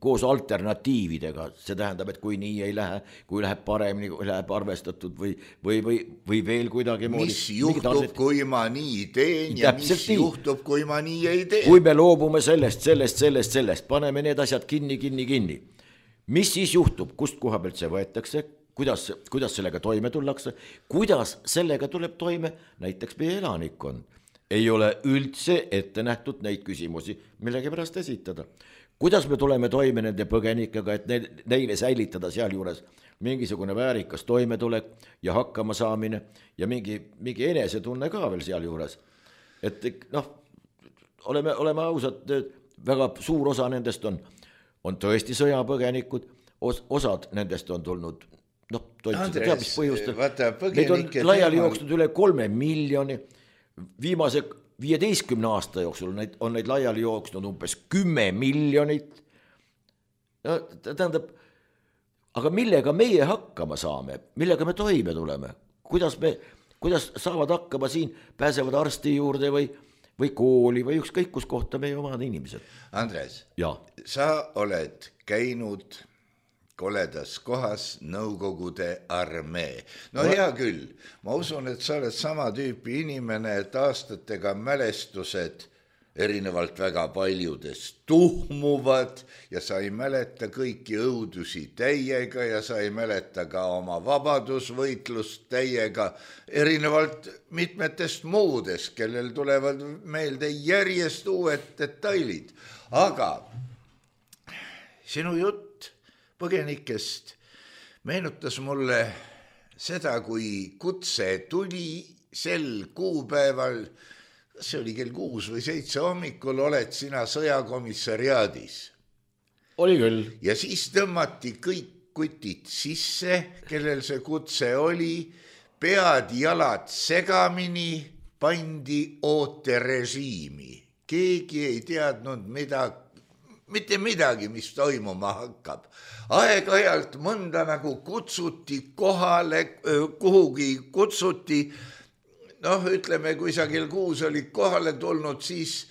koos alternatiividega, see tähendab, et kui nii ei lähe, kui läheb paremini, kui läheb arvestatud või, või, või, või veel kuidagi moodi. Mis juhtub, arvet... kui ma nii teen ja Täpselt mis nii. Juhtub, kui ma nii ei tee. Kui me loobume sellest, sellest, sellest, sellest, paneme need asjad kinni, kinni, kinni. Mis siis juhtub, kust koha pealt see võetakse, kuidas, kuidas sellega toime tullakse, kuidas sellega tuleb toime näiteks meie elanikkond. Ei ole üldse ette nähtud neid küsimusi, millegi pärast esitada. Kuidas me tuleme toime nende põgenikega, et neile säilitada seal juures mingisugune väärikas toimetulek ja hakkama saamine ja mingi, mingi enesetunne ka veel seal juures. Et noh, oleme, oleme ausad, väga suur osa nendest on on tõesti sõjapõgenikud, os, osad nendest on tulnud, noh, toitud teab, mis põhjustel. Neid on laiali jooksnud üle kolme miljoni, viimase viieteistkümne aasta jooksul neid, on neid laiali jooksnud umbes kümme miljonit. No, tähendab, aga millega meie hakkama saame, millega me toime tuleme, kuidas, me, kuidas saavad hakkama siin, pääsevad arsti juurde või või kooli või ükskõik kus kohta meie omad inimesed. Andres, ja. Sa oled käinud koledas kohas Nõukogude armee. No, no hea küll, ma usun, et sa oled sama tüüpi inimene, et aastatega mälestused erinevalt väga paljudest tuhmuvad ja sa ei mäleta kõiki õudusi täiega ja sa ei mäleta ka oma vabadusvõitlust täiega, erinevalt mitmetest muudest, kellel tulevad meelde järjest uued detailid. Aga sinu jutt põgenikest meenutas mulle seda, kui kutse tuli sel kuupäeval, see oli kell kuus või seitse hommikul, oled sina sõjakomissariaadis. Oli küll. Ja siis tõmmati kõik kutid sisse, kellel see kutse oli, pead jalad segamini, pandi ooterežiimi. Keegi ei teadnud mida, mitte midagi, mis toimuma hakkab. Aeg-ajalt mõnda nagu kutsuti kohale, kuhugi kutsuti. Noh, ütleme, kui sa kell kuus olid kohale tulnud, siis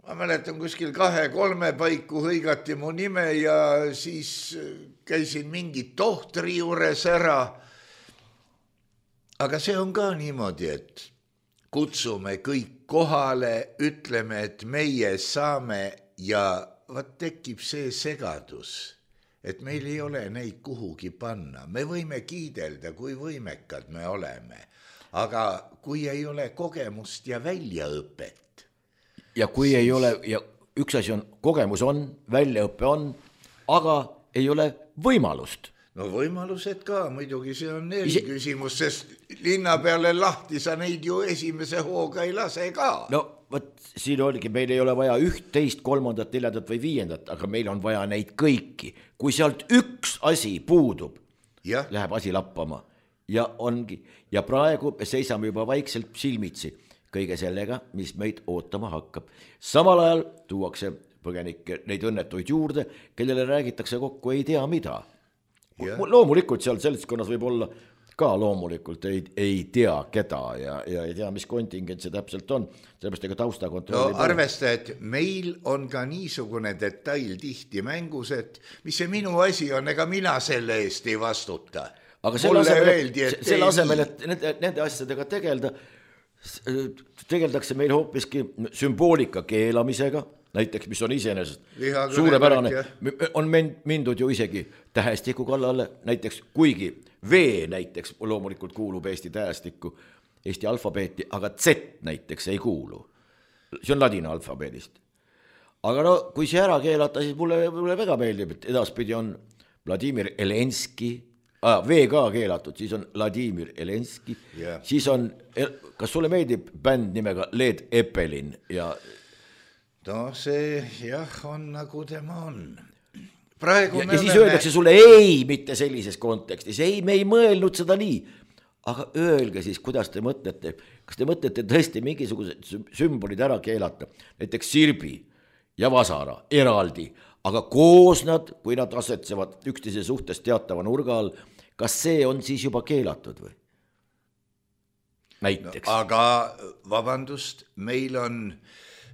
ma mäletan kuskil kahe-kolme paiku hõigati mu nime ja siis käisin mingi tohtri juures ära. Aga see on ka niimoodi, et kutsume kõik kohale, ütleme, et meie saame ja vaat tekib see segadus, et meil ei ole neid kuhugi panna. Me võime kiidelda, kui võimekad me oleme. Aga kui ei ole kogemust ja väljaõpet. Ja kui siis... ei ole, ja üks asi on, kogemus on, väljaõpe on, aga ei ole võimalust. No võimalused ka, muidugi see on eri küsimus, sest linna peale lahti sa neid ju esimese hooga ei lase ka. No võt, siin oligi, meil ei ole vaja üht, teist, kolmandat, neljandat või viiendat, aga meil on vaja neid kõiki. Kui sealt üks asi puudub, ja. Läheb asi lappama. ja ongi, ja praegu me seisame juba vaikselt silmitsi kõige sellega, mis meid ootama hakkab. Samal ajal tuuakse põgenikke neid õnnetuid juurde, kellele räägitakse kokku ei tea mida. Yeah. Loomulikult seal seltskonnas võib olla ka loomulikult ei, ei tea keda ja, ja ei tea, mis kontingent see täpselt on. Sellepärast ega taustakontrolli. No arvesta, et meil on ka niisugune detail tihti mängus, et mis see minu asi on, ega mina selle eest ei vastuta. Aga selle asemel, selle asemel, et nende, nende asjadega tegelda, tegeldakse meil hoopiski sümboolika keelamisega, näiteks, mis on iseenesest suurepärane, on mindud ju isegi tähestiku kallale, näiteks kuigi V näiteks loomulikult kuulub Eesti tähestikku, Eesti alfabeeti, aga Z näiteks ei kuulu. See on ladina alfabeedist. Aga no, kui see ära keelata, siis mulle, mulle väga meeldib, et edaspidi on Vladimir Elenski, ah, V ka keelatud, siis on Vladimir Elenski, yeah. Siis on, kas sulle meeldib bänd nimega Led Zeppelin ja no see jah on nagu tema on. Praegu ja, ja siis oleme... öeldakse sulle ei, mitte sellises kontekstis. Ei, me ei mõelnud seda nii. Aga öelge siis, kuidas te mõtlete. Kas te mõtlete tõesti mingisugused sümbolid ära keelata? Näiteks sirbi ja vasara eraldi. Aga koos nad, kui nad asetsevad üksteise suhtes teatava nurga all, kas see on siis juba keelatud või? Näiteks. No, aga vabandust, meil on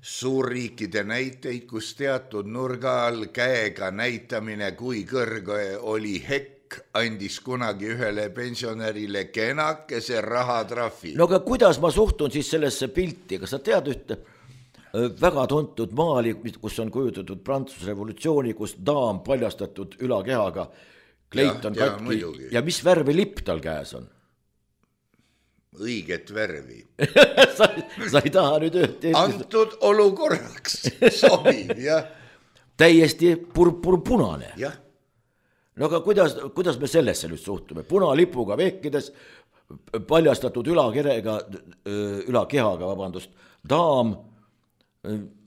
suurriikide näiteid, kus teatud nurga all käega näitamine, kui kõrge oli hekk, andis kunagi ühele pensionärile kenakese rahatrahvi. No aga kuidas ma suhtun siis sellesse pilti? Kas sa tead ühte väga tuntud maali, kus on kujutatud Prantsuse revolutsiooni, kus daam paljastatud ülakehaga, kleit on ja, katki ja, ja mis värvi lipp tal käes on? Õiget värvi. sa, sa ei taha nüüd ühte... Antud olukorraks sobib, jah. Täiesti purpur punane. Jah. No aga kuidas, kuidas me sellesse nüüd suhtume? Punalipuga vehkides, paljastatud ülakerega, ülakehaga, vabandust, daam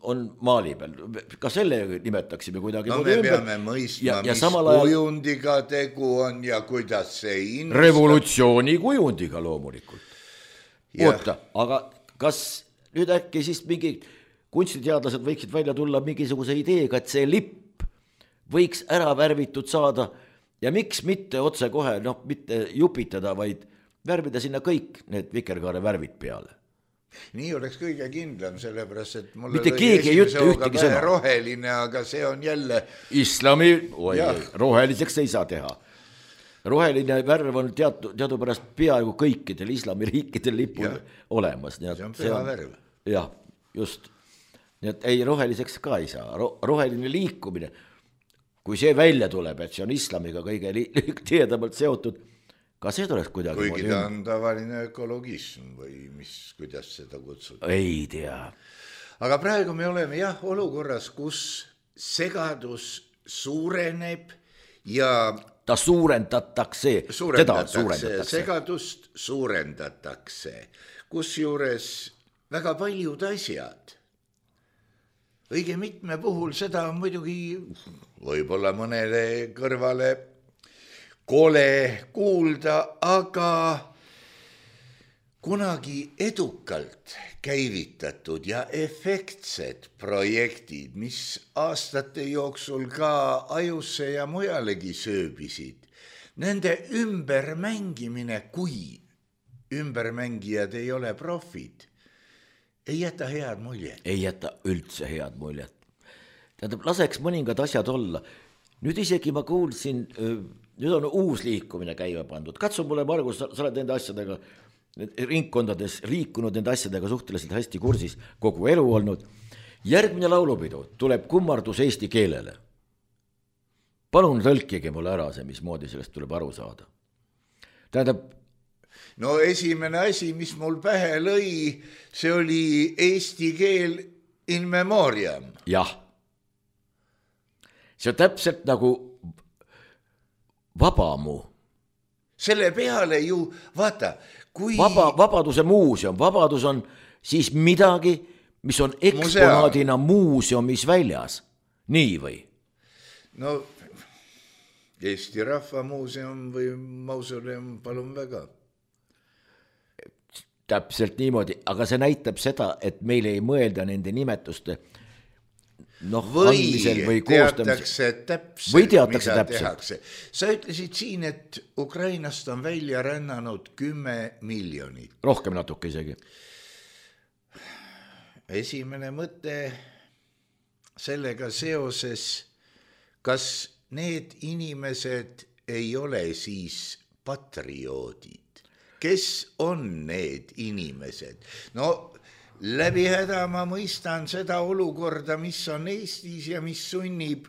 on maali peal. Ka selle nimetaksime kuidagi. No me ümber. Peame mõistma, ja, ja mis ajal... kujundiga tegu on ja kuidas see inimest... Revolutsiooni kujundiga loomulikult. Ja. Oota, aga kas nüüd äkki siis mingi kunstiteadlased võiksid välja tulla mingisuguse ideega, et see lipp võiks ära värvitud saada ja miks mitte otse kohe, noh, mitte jupitada, vaid värvida sinna kõik need vikerkaare värvid peale. Nii oleks kõige kindlam, sellepärast, et mulle mitte keegi ei ütle ühtegi sõna. Roheline, aga see on jälle... Islami oi, roheliseks ei saa teha. Roheline värv on teatu, teadupärast peaaegu kõikidel islamiriikidel lipul ja. Olemas. See on püha värv. Jah, just. Nii et ei, roheliseks ka ei saa. Ro- roheline liikumine, kui see välja tuleb, et see on islamiga kõige li- tiedamalt seotud, ka see tuleks kuidagi... Kuigi ta on tavaline ökologism või mis, kuidas seda kutsud? Ei tea. Aga praegu me oleme jah olukorras, kus segadus suureneb ja... ta suurendatakse, suurendatakse, teda suurendatakse. Segadust suurendatakse, kus juures väga paljud asjad. Õige mitme puhul seda on muidugi võib-olla mõnele kõrvale kole kuulda, aga kunagi edukalt käivitatud ja efektsed projektid, mis aastate jooksul ka ajusse ja mujalegi sööbisid, nende ümbermängimine, kui ümbermängijad ei ole profid, ei jäta head muljet. Ei jäta üldse head muljet. Tähendab, laseks mõningad asjad olla. Nüüd isegi ma kuulsin, nüüd on uus liikumine käiva pandud. Katsu mulle, Margus, sa oled nende asjadega ringkondades liikunud nende asjadega suhteliselt hästi kursis kogu elu olnud. Järgmine laulupidu tuleb kummardus eesti keelele. Palun tõlkige mulle ära see, mismoodi sellest tuleb aru saada. Tähendab, no esimene asi, mis mul pähe lõi, see oli eesti keel in memoriam. Jah. See on täpselt nagu vabamu. Selle peale ju, vaata, kui... Vaba, vabaduse muuseum. Vabadus on siis midagi, mis on eksponaadina muuseumis väljas. Nii või? No, Eesti Rahva Muuseum või mausoleum, palun väga. täpselt niimoodi, aga see näitab seda, et meil ei mõelda nende nimetuste noh, andmisel või koostamisel. Täpselt, või teatakse täpselt. Tehakse. Sa ütlesid siin, et Ukrainast on välja rännanud kümme miljonit. Rohkem natuke isegi. Esimene mõte sellega seoses, kas need inimesed ei ole siis patrioodid? Kes on need inimesed? No läbi häda ma mõistan seda olukorda, mis on Eestis ja mis sunnib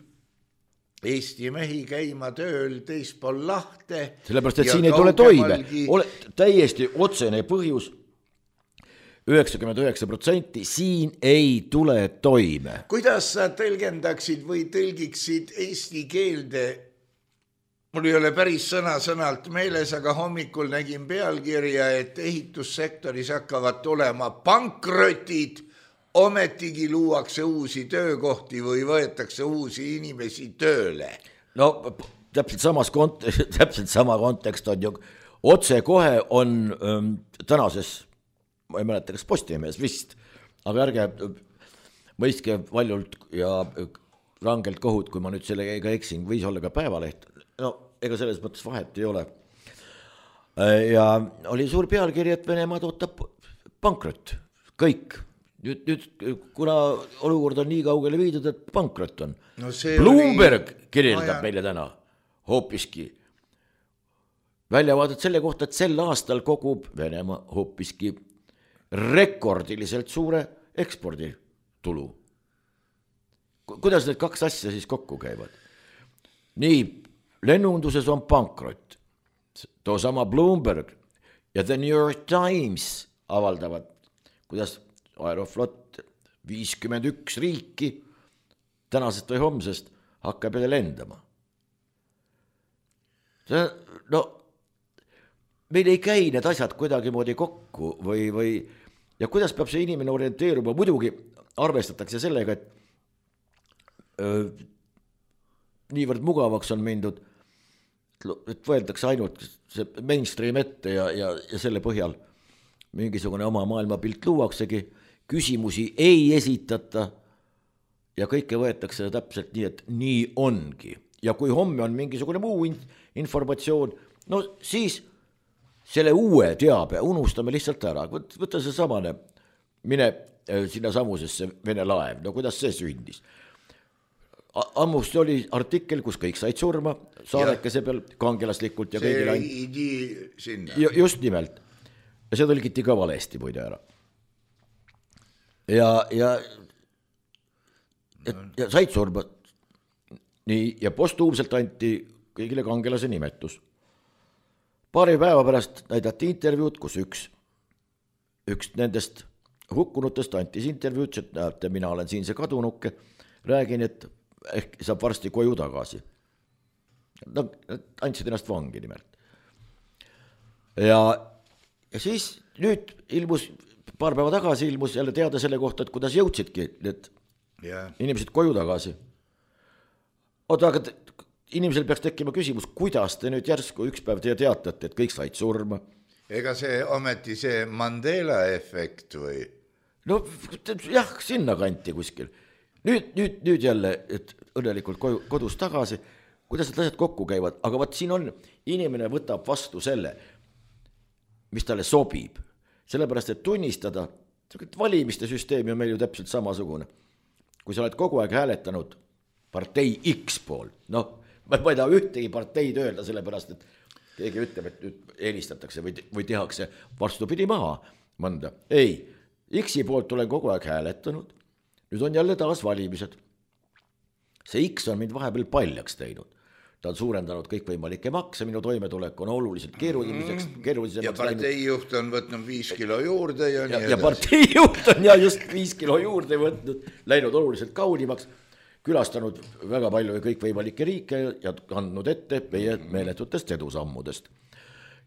Eesti mehi käima tööl teispool lahte. Sellepärast, et siin ei tule toime. Ole täiesti otsene põhjus, üheksakümmend üheksa protsenti siin ei tule toime. Kuidas sa tõlgendaksid või tõlgiksid eesti keelde? Mul ei ole päris sõna-sõnalt meeles, aga hommikul nägin pealkirja, et ehitussektoris hakkavad tulema pankrotid, ometigi luuakse uusi töökohti või võetakse uusi inimesi tööle. No täpselt, samas kont- täpselt sama kontekst on ju, otse kohe on ähm, tänases, ma ei mäleta, kas Postimehes vist, aga ärge mõistke valjult ja rangelt kohut, kui ma nüüd sellega eksin, võis olla ka Päevaleht. No ega selles mõttes vahet ei ole. Ja oli suur pealkiri, et Venemaad ootab pankrot, kõik. Nüüd, nüüd, kuna olukord on nii kaugele viidud, et pankrot on. No Bloomberg oli... kirjeldab no, meile täna hoopiski väljavaadet selle kohta, et sel aastal kogub Venemaa hoopiski rekordiliselt suure eksporditulu. Kuidas need kaks asja siis kokku käivad? Nii, lennunduses on pankrot, too sama Bloomberg ja The New York Times avaldavad, kuidas Aeroflot viiskümmend üks riiki tänasest või homsest hakkab jälle lendama. See, no, meil ei käi need asjad kuidagi moodi kokku või, või ja kuidas peab see inimene orienteeruma, muidugi arvestatakse sellega, et öö, niivõrd mugavaks on mindud, et võetakse ainult see mainstream ette ja, ja, ja selle põhjal mingisugune oma maailmapilt luuaksegi, küsimusi ei esitata ja kõike võetakse täpselt nii, et nii ongi. Ja kui homme on mingisugune muu informatsioon, no siis selle uue teabe unustame lihtsalt ära. Võtta see samane, mine sinna samusesse Vene laev, no kuidas see sündis? Ammust oli artikkel, kus kõik said surma, saadekese peal kangelaslikult ja kõigil ainult. Just nimelt. Ja see tõlgiti ka valesti muide ära. Ja, ja, et, ja said surma. Nii, ja postuumselt anti kõigile kangelase nimetus. Paari päeva pärast näidati intervjuud, kus üks, üks nendest hukkunutest antis intervjuud, et näete, mina olen siin see kadunuke, räägin, et ehk saab varsti koju tagasi. Nad andsid ennast vangi nimelt. Ja, ja siis nüüd ilmus, paar päeva tagasi ilmus jälle teada selle kohta, et kuidas jõudsidki need yeah. inimesed koju tagasi. Oota, aga te, inimesel peaks tekkima küsimus, kuidas te nüüd järsku üks päev te teatate, et kõik said surma. Ega see ometi see Mandela efekt või? No jah, sinna kanti kuskil. Nüüd, nüüd, nüüd jälle, et õnnelikult kodus tagasi, kuidas need asjad kokku käivad, aga vaat siin on, inimene võtab vastu selle, mis talle sobib. Sellepärast, et tunnistada, valimiste süsteemi on meil ju täpselt samasugune. Kui sa oled kogu aeg hääletanud partei X pool, noh, ma ei taha ühtegi parteid öelda, sellepärast, et keegi ütleb, et nüüd eelistatakse või, või tehakse vastupidi maha mõnda. Ei, X-i poolt olen kogu aeg hääletanud. Nüüd on jälle taas valimised. See X on mind vahepeal paljaks teinud. Ta on suurendanud kõikvõimalikke makse, minu toimetulek on oluliselt keeruliseks. keeruliseks ja parteijuht on võtnud viis kilo juurde ja nii ja, ja parteijuht on ja just viis kilo juurde võtnud, läinud oluliselt kaunimaks, külastanud väga palju kõikvõimalikke riike ja andnud ette meie meeletutest edusammudest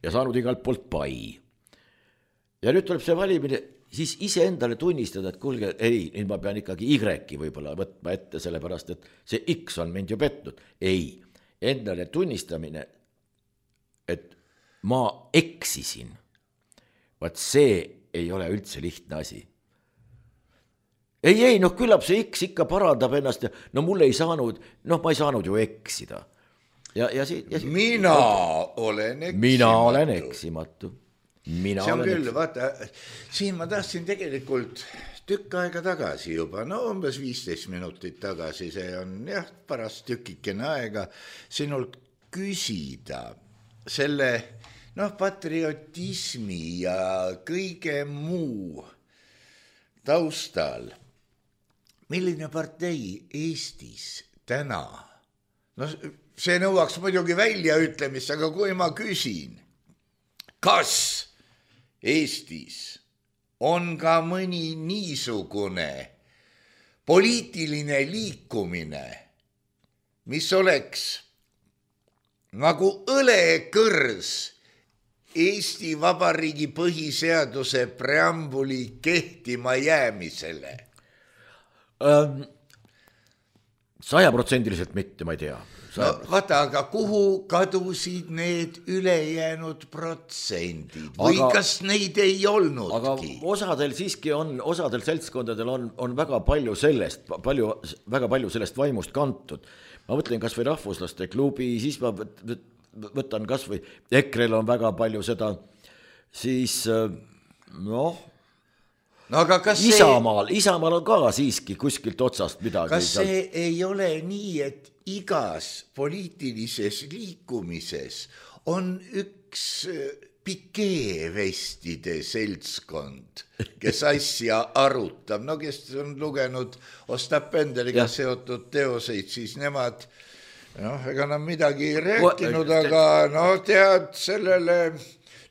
ja saanud igalt poolt pai. Ja nüüd tuleb see valimine, siis ise endale tunnistada, et kuulge, ei, nüüd ma pean ikkagi Y võib-olla võtma ette, sellepärast, et see X on mind ju petnud. Ei, endale tunnistamine, et ma eksisin. Vaat see ei ole üldse lihtne asi. Ei, ei, noh, küllap see X ikka parandab ennast ja no mul ei saanud, noh, ma ei saanud ju eksida. Ja, ja si, ja si, mina olen eksimatu. Mina olen eksimatu. Mina see on olen küll, eksimatu. vaata, siin ma tahtsin tegelikult tükk aega tagasi juba, no umbes viisteist minutit tagasi, see on jah, parast tükikene aega sinult küsida selle, noh, patriotismi ja kõige muu taustal. Milline partei Eestis täna? No see nõuaks muidugi väljaütlemist, aga kui ma küsin, kas Eestis on ka mõni niisugune poliitiline liikumine, mis oleks nagu õlekõrs Eesti Vabariigi põhiseaduse preambuli kehtima jäämisele? Sajaprotsendiliselt mitte, ma ei tea. No, vaata, aga kuhu kadusid need ülejäänud protsendid või aga, kas neid ei olnudki? Aga osadel siiski on, osadel seltskondadel on, on väga palju sellest, palju, väga palju sellest vaimust kantud. Ma mõtlen kas või rahvuslaste klubi, siis ma võtan kas või Ekrel on väga palju seda, siis noh, no, aga kas Isamaal, see, Isamaal on ka siiski kuskilt otsast midagi. Kas see ei ole nii, et igas poliitilises liikumises on üks pikeevestide seltskond, kes asja arutab, no kes on lugenud Ostap Benderiga seotud teoseid, siis nemad, noh, ega nad midagi ei rääkinud, aga no tead, sellele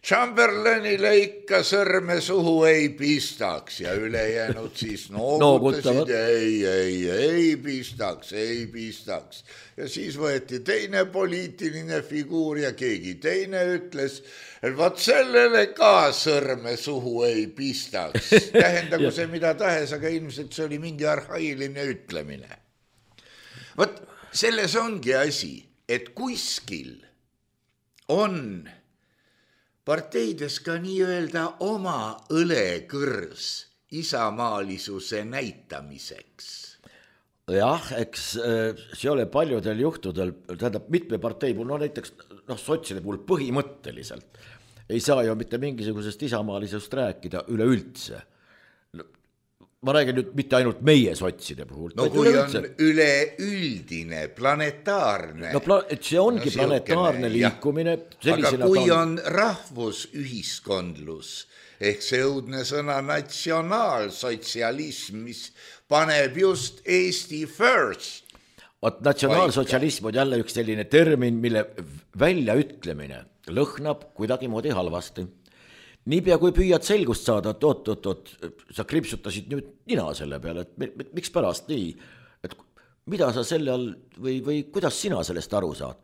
Chamberlainile ikka sõrme suhu ei pistaks ja ülejäänud siis noogutasid, ei, ei, ei pistaks, ei pistaks. Ja siis võeti teine poliitiline figuur ja keegi teine ütles, et vaat sellele ka sõrme suhu ei pistaks. Tähendagu see mida tahes, aga ilmselt see oli mingi arhailine ütlemine. Vot selles ongi asi, et kuskil on parteides ka nii-öelda oma õlekõrs isamaalisuse näitamiseks. Jah, eks see ole paljudel juhtudel, tähendab mitme partei puhul, no näiteks noh, sotside puhul põhimõtteliselt ei saa ju mitte mingisugusest isamaalisust rääkida üleüldse. Ma räägin nüüd mitte ainult meie sotside puhul. No kui üleüldse on üleüldine, planetaarne. No pla- et see ongi no, planetaarne liikumine. Aga kui on rahvusühiskondlus, ehk see õudne sõna natsionaalsotsialism, mis paneb just Eesti first. Ot natsionaalsotsialism on jälle üks selline termin, mille väljaütlemine lõhnab kuidagi moodi halvasti. Niipea kui püüad selgust saada, et oot, oot, oot, sa kripsutasid nüüd nina selle peale, et miks pärast nii, et mida sa selle all või, või kuidas sina sellest aru saad,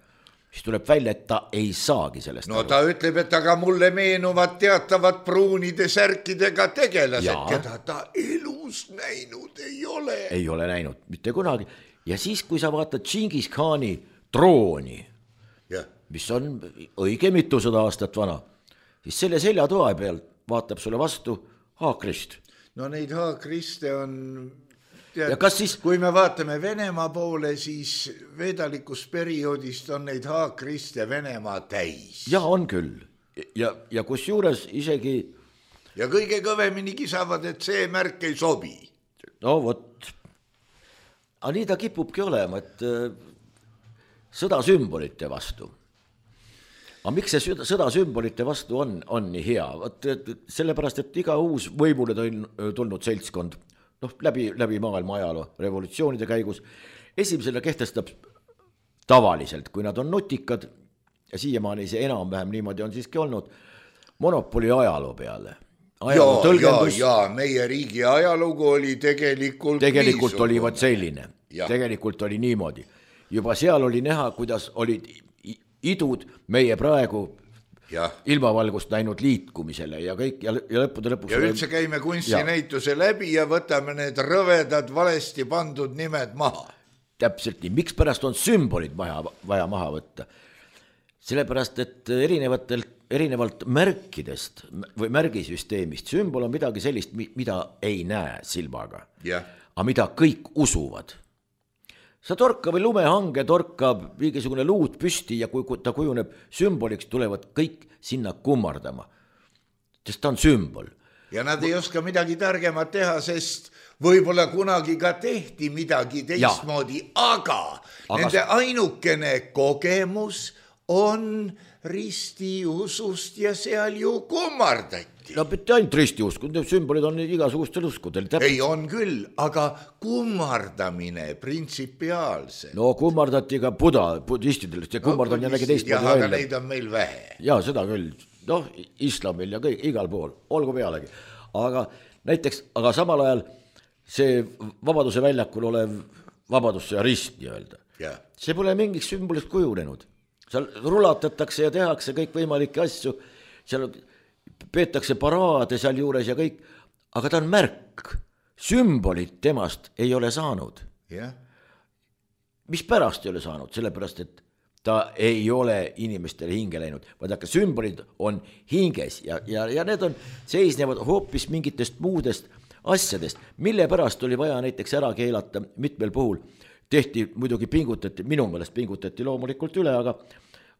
siis tuleb välja, et ta ei saagi sellest no, aru. Ta ütleb, et aga mulle meenuvad teatavad pruunide särkidega tegelased, keda ta elus näinud ei ole. Ei ole näinud, mitte kunagi. Ja siis, kui sa vaatad Džingis Khani trooni, ja. Mis on õige mitusada aastat vana, siis selle seljatoa peal vaatab sulle vastu haakrist. No neid haakriste on, tead, siis... kui me vaatame Venemaa poole, siis veedalikus perioodist on neid haakriste Venemaa täis. Ja on küll. Ja, ja kus juures isegi... Ja kõige kõvemini kisavad, et see märk ei sobi. No vot. Aga nii ta kipubki olema, et sõda sümbolite vastu. Aga miks see sõda sümbolite vastu on, on nii hea? Võt, sellepärast, et iga uus võimule tulnud seltskond, noh, läbi, läbi maailma ajaloo, revolutsioonide käigus, esimesena kehtestab tavaliselt, kui nad on nutikad, ja siiamaani see enam-vähem niimoodi on siiski olnud, monopoli ajaloo peale. Ajaloo tõlgendus, ja, ja, meie riigi ajalugu oli tegelikult Tegelikult niisugune. Oli vaat selline, ja. Tegelikult oli niimoodi. Juba seal oli näha, kuidas olid idud meie praegu ja. Ilmavalgust näinud liikumisele ja kõik ja, ja lõppude lõpuks. Ja üldse käime kunstinäituse läbi ja võtame need rõvedad valesti pandud nimed maha. Täpselt nii, miks pärast on sümbolid vaja, vaja maha võtta? Sellepärast, et erinevatel erinevalt märkidest või märgisüsteemist, sümbol on midagi sellist, mida ei näe silmaga, yeah. aga mida kõik usuvad. Sa torka või lumehange torkab mingisugune luud püsti ja kui ta kujuneb sümboliks, tulevad kõik sinna kummardama, sest ta on sümbol. Ja nad ei oska midagi targemat teha, sest võib-olla kunagi ka tehti midagi teistmoodi, aga, aga nende ainukene kogemus on ristiusust ja seal ju kummardati. No mitte ainult ristiusk, sümbolid on igasugustel uskudel. Ei on küll, aga kummardamine printsipiaalselt. No kummardati ka buda, budistidel, see kummard on jällegi teistmoodi välja. Jah, aga neid on meil vähe. Jaa, seda küll. Noh, islamil ja kõik, igal pool, olgu pealegi. Aga näiteks, aga samal ajal see Vabaduse väljakul olev vabadus ja rist nii-öelda. Yeah. See pole mingiks sümbolist kujunenud. Seal rulatatakse ja tehakse kõik võimalikke asju, seal peetakse paraade seal juures ja kõik, aga ta on märk. Sümbolid temast ei ole saanud. Yeah. Mis pärast ei ole saanud? Sellepärast, et ta ei ole inimestele hinge läinud. Vaadake, sümbolid on hinges ja, ja, ja need on seisnevad hoopis mingitest muudest asjadest, mille pärast oli vaja näiteks ära keelata mitmel puhul. Tehti, muidugi pingutati, minu meelest pingutati loomulikult üle, aga,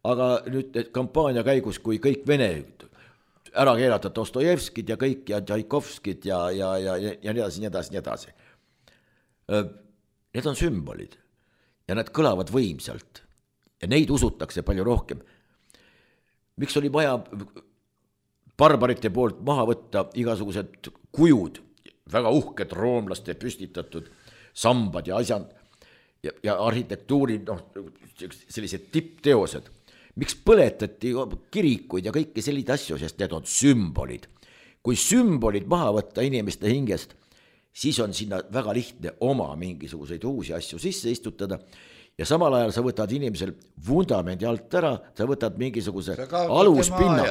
aga nüüd kampaania käigus, kui kõik vene ära keelata Dostojevskid ja kõik ja Tšaikovskid ja, ja, ja, ja nii edasi, nii edasi, nii edasi. Need on sümbolid ja nad kõlavad võimsalt ja neid usutakse palju rohkem. Miks oli vaja barbarite poolt maha võtta igasugused kujud, väga uhked roomlaste püstitatud sambad ja asjad, ja, ja arhitektuuri, noh, sellised tippteosed. Miks põletati kirikuid ja kõiki selliseid asju, sest need on sümbolid. Kui sümbolid maha võtta inimeste hingest, siis on sinna väga lihtne oma mingisuguseid uusi asju sisse istutada ja samal ajal sa võtad inimesel vundamendi alt ära, sa võtad mingisuguse aluspinna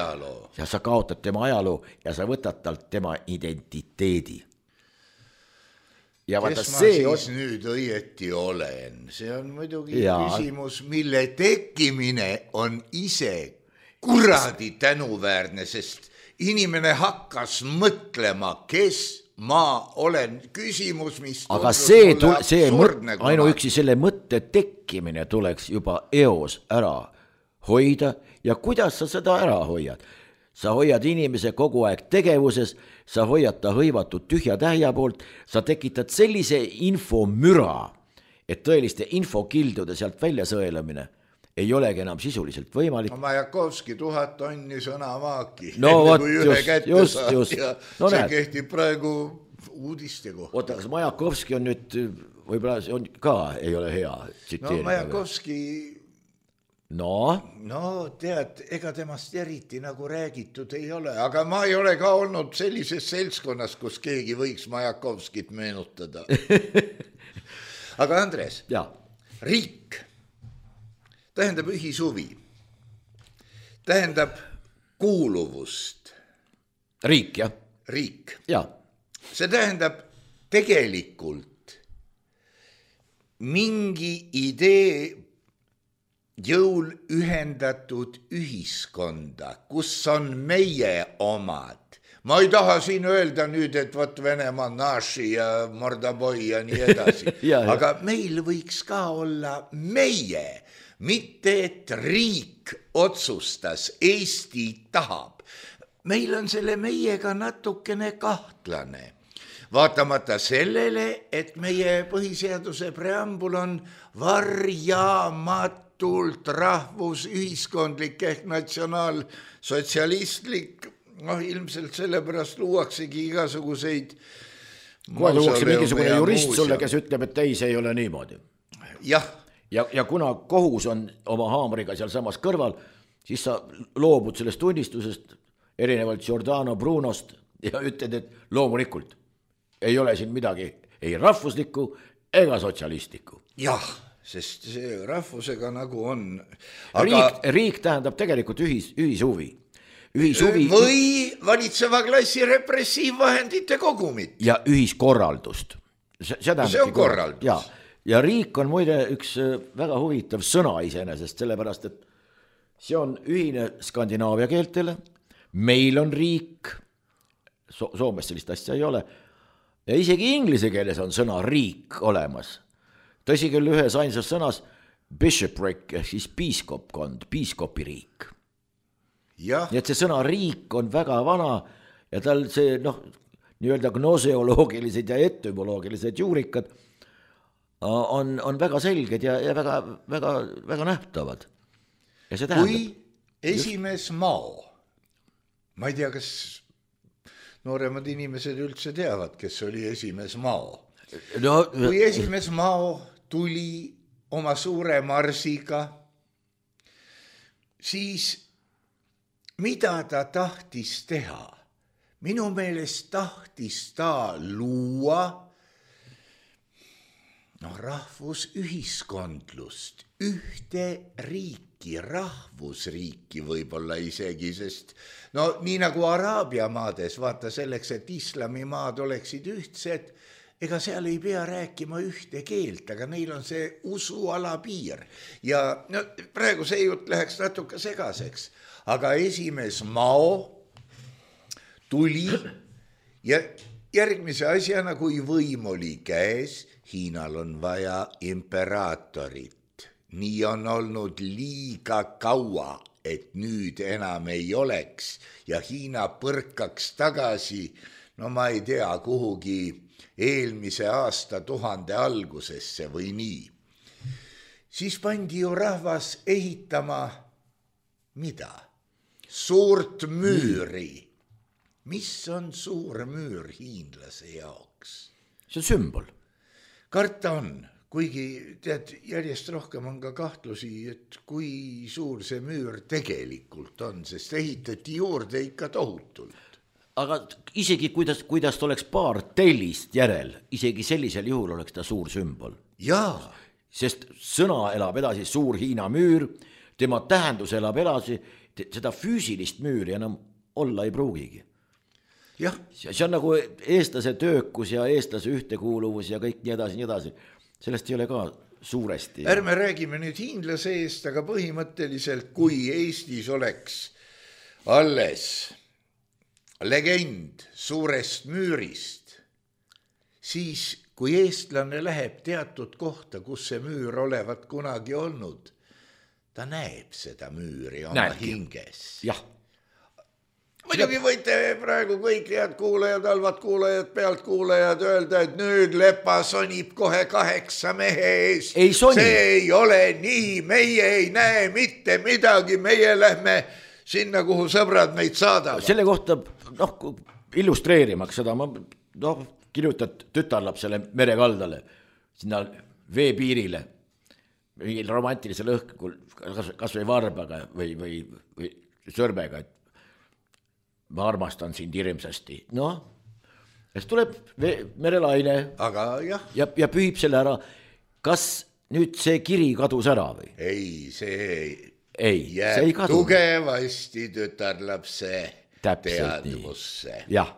ja sa kaotad tema ajaloo ja sa võtad talt tema identiteedi. Ja kes ma see siis on... nüüd õieti olen? See on muidugi ja... küsimus, mille tekkimine on ise kuradi tänuväärne, sest inimene hakkas mõtlema, kes ma olen. Küsimus, mis aga see, tule, see mõt, ainuüksi selle mõtte tekkimine tuleks juba eos ära hoida ja kuidas sa seda ära hoiad? Sa hoiad inimese kogu aeg tegevuses, sa hoiad ta hõivatud tühja tähja poolt, sa tekitad sellise infomüra, et tõeliste infokildude sealt välja sõelamine ei olegi enam sisuliselt võimalik. No Majakovski tuhat tonni sõnamaaki. No vot, just, just, just. No, see näed. Kehtib praegu uudiste kohta. Oota, kas Majakovski on nüüd, võib-olla see on ka ei ole hea tsiteerida. No Majakovski... No? No tead, ega temast eriti nagu räägitud ei ole, aga ma ei ole ka olnud sellises seltskonnas, kus keegi võiks Majakovskit meenutada. Aga Andres, ja. Riik tähendab ühishuvi, tähendab kuuluvust. Riik, jah. Riik. Ja. See tähendab tegelikult mingi idee jõul ühendatud ühiskonda, kus on meie omad. Ma ei taha siin öelda nüüd, et võt Venemaa naši ja Mordaboi ja nii edasi. ja, ja. Aga meil võiks ka olla meie, mitte et riik otsustas, Eesti tahab. Meil on selle meiega natukene kahtlane. Vaatamata sellele, et meie põhiseaduse preambul on varjamat tult rahvus, ühiskondlik ehk natsionaalsotsialistlik, noh ilmselt sellepärast luuaksegi igasuguseid kohe luuakse mingisugune jurist sulle, kes ütleb, et ei, see ei ole niimoodi. Jah. Ja, ja kuna kohus on oma haamriga seal samas kõrval, siis sa loobud sellest tunnistusest erinevalt Giordano Brunost ja ütled, et loomulikult ei ole siin midagi ei rahvuslikku ega sotsialistlikku. Jah. Sest see rahvusega nagu on. Aga... Riik, riik tähendab tegelikult ühis, ühishuvi. ühishuvi. Või valitseva klassi repressiivvahendite kogumit. Ja ühiskorraldust. See, see, see on korraldus. Ja, ja riik on muide üks väga huvitav sõna iseenesest, sellepärast, et see on ühine Skandinaavia keeltele, meil on riik, so- Soomes sellist asja ei ole, ja isegi inglise keeles on sõna riik olemas. Tõsi küll ühes ainsas sõnas bishopric ehk siis piiskopkond, piiskopiriik. Nii et see sõna riik on väga vana ja tal see noh, nii-öelda gnoseoloogilised ja etümoloogilised juurikad on, on väga selged ja, ja väga, väga, väga nähtavad. Ja see tähendab, kui esimees Mao, ma ei tea, kas nooremad inimesed üldse teavad, kes oli esimees Mao. No, kui esimees Mao tuli oma suure marsiga, siis mida ta tahtis teha? Minu meelest tahtis ta luua no, rahvusühiskondlust, ühte riiki, rahvusriiki võib-olla isegi, sest no nii nagu Araabia maades, vaata selleks, et islamimaad oleksid ühtsed, ega seal ei pea rääkima ühte keelt, aga neil on see usuala piir. Ja no, praegu see jutt läheks natuke segaseks, aga esimees Mao tuli ja järgmise asjana, kui võim oli käes, Hiinal on vaja imperaatorit. Nii on olnud liiga kaua, et nüüd enam ei oleks ja Hiina põrkaks tagasi, no ma ei tea, kuhugi eelmise aasta tuhande algusesse või nii. Siis pandi ju rahvas ehitama mida? Suurt müüri. Mis on suur müür hiinlase jaoks? See on sümbol. Karta on, kuigi tead, järjest rohkem on ka kahtlusi, et kui suur see müür tegelikult on, sest ehitati juurde ikka tohutult. Aga isegi kuidas, kuidas oleks paar tellist järel, isegi sellisel juhul oleks ta suur sümbol. Jaa. Sest sõna elab edasi suur Hiina müür, tema tähendus elab edasi, seda füüsilist müüri enam olla ei pruugigi. Jah. See on nagu eestlase töökus ja eestlase ühtekuuluvus ja kõik nii edasi, nii edasi. Sellest ei ole ka suuresti. Ärme räägime nüüd hiinlase eest, aga põhimõtteliselt, kui Eestis oleks alles legend suurest müürist, siis kui eestlane läheb teatud kohta, kus see müür olevat kunagi olnud, ta näeb seda müüri oma Näebki. Hinges. Jah. Muidugi võite praegu kõik head kuulajad, halvad kuulajad, pealt kuulajad öelda, et nüüd Lepa sonib kohe kaheksa mehe eest. Ei soni. See ei ole nii, meie ei näe mitte midagi, meie lähme sinna, kuhu sõbrad meid saadavad. Selle kohta, noh, illustreerimaks seda, ma noh, kirjutad tütarlapsele merekaldale, sinna veepiirile, mingil romantilisel õhkul, kas või varbaga või, või, või sõrmega, et ma armastan sind hirmsasti. Noh, siis tuleb merelaine aga jah. Ja, ja pühib selle ära. Kas nüüd see kiri kadus ära või? Ei, see ei, ei, jääb see ei kadu. Tugevasti tütarlapse teadvusse. Jah,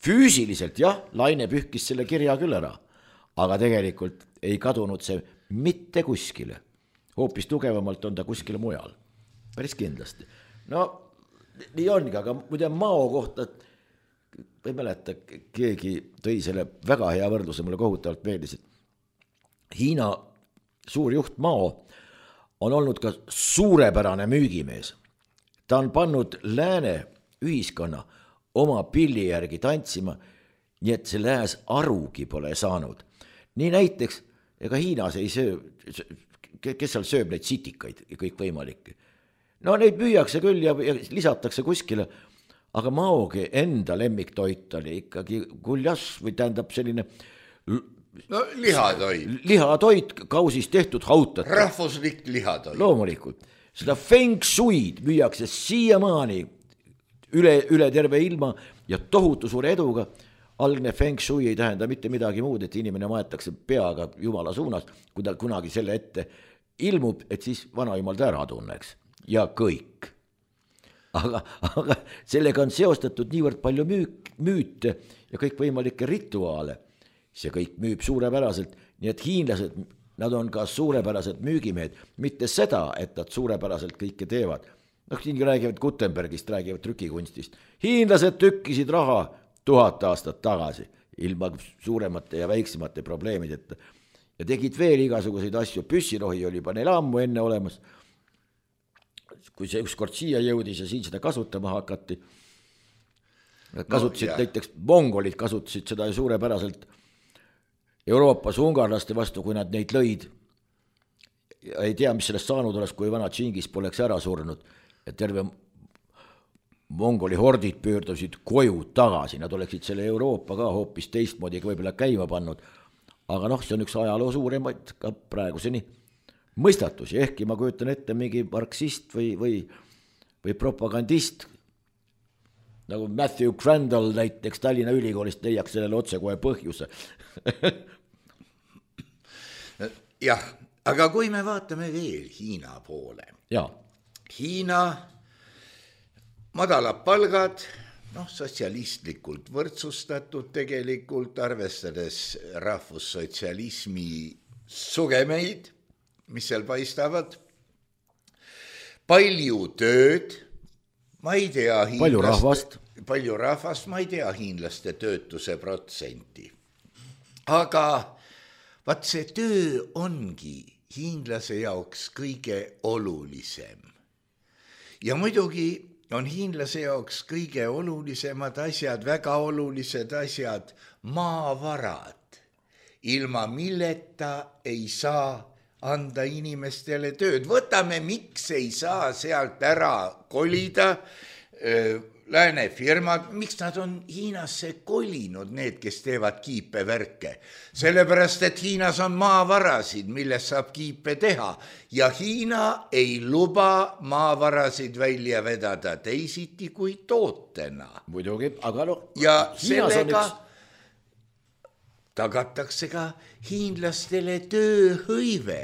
füüsiliselt jah, laine pühkis selle kirja küll ära, aga tegelikult ei kadunud see mitte kuskile. Hoopis tugevamalt on ta kuskile mujal. Päris kindlasti. No, nii ongi, aga muide Mao kohta, ei mäleta, keegi tõi selle väga hea võrdluse, mulle kohutavalt meeldis, et Hiina suur juht Mao on olnud ka suurepärane müügimees. Ta on pannud lääne ühiskonna oma pilli järgi tantsima, nii et see lääs arugi pole saanud. Nii näiteks, ega Hiinas ei söö, kes seal sööb neid sitikaid ja kõik võimalik. No neid müüakse küll ja, ja lisatakse kuskile, aga Maogi enda lemmiktoit oli ikkagi guljas või tähendab selline no, lihatoit. Lihatoit kausist tehtud hautat. Rahvuslik lihatoit. Loomulikult. Seda feng shuid müüakse siiamaani üle, üle terve ilma ja tohutu suure eduga. Algne feng shui ei tähenda mitte midagi muud, et inimene maetakse peaga jumala suunas, kui ta kunagi selle ette ilmub, et siis vana jumal ta ära tunneks. Ja kõik. Aga, aga sellega on seostatud niivõrd palju müük, müüte ja kõik võimalikke rituaale. See kõik müüb suurepäraselt, nii et hiinlased nad on ka suurepärased müügimehed, mitte seda, et nad suurepäraselt kõike teevad. Noh, siin räägivad Gutenbergist, räägivad trükikunstist. Hiinlased tükkisid raha tuhat aastat tagasi, ilma suuremate ja väiksemate probleemideta. Ja tegid veel igasuguseid asju, püssirohi oli juba neil ammu enne olemas. Kui see ükskord siia jõudis ja siin seda kasutama hakati, nad kasutasid no, näiteks, mongolid kasutasid seda suurepäraselt Euroopas ungarlaste vastu, kui nad neid lõid. Ja ei tea, mis sellest saanud oleks, kui vana Tšingis poleks ära surnud. Ja terve mongoli hordid pöördusid koju tagasi, nad oleksid selle Euroopa ka hoopis teistmoodi võib-olla käima pannud, aga noh, see on üks ajaloo suuremaid ka praeguseni mõistatusi, ehkki ma kujutan ette mingi marksist või, või, või propagandist, nagu Matthew Crandall näiteks Tallinna Ülikoolist leiaks sellele otse kohe põhjuse. jah, aga kui me vaatame veel Hiina poole. Jaa. Hiina madalad palgad, noh, sotsialistlikult võrdsustatud tegelikult, arvestades rahvussotsialismi sugemeid, mis seal paistavad. Palju tööd, ma ei tea hiinlaste, palju rahvast. Palju rahvast, ma ei tea hiinlaste töötuse protsenti. Aga vaat see töö ongi hiinlase jaoks kõige olulisem. Ja muidugi on hiinlase jaoks kõige olulisemad asjad, väga olulised asjad, maavarad, ilma milleta ei saa anda inimestele tööd. Võtame, miks ei saa sealt ära kolida lääne firmad, miks nad on Hiinasse kolinud, need, kes teevad kiipevärke. Sellepärast, et Hiinas on maavarasid, millest saab kiipe teha ja Hiina ei luba maavarasid välja vedada teisiti kui tootena. Muidugi, aga no, ja sellega üks... tagatakse ka hiinlastele tööhõive,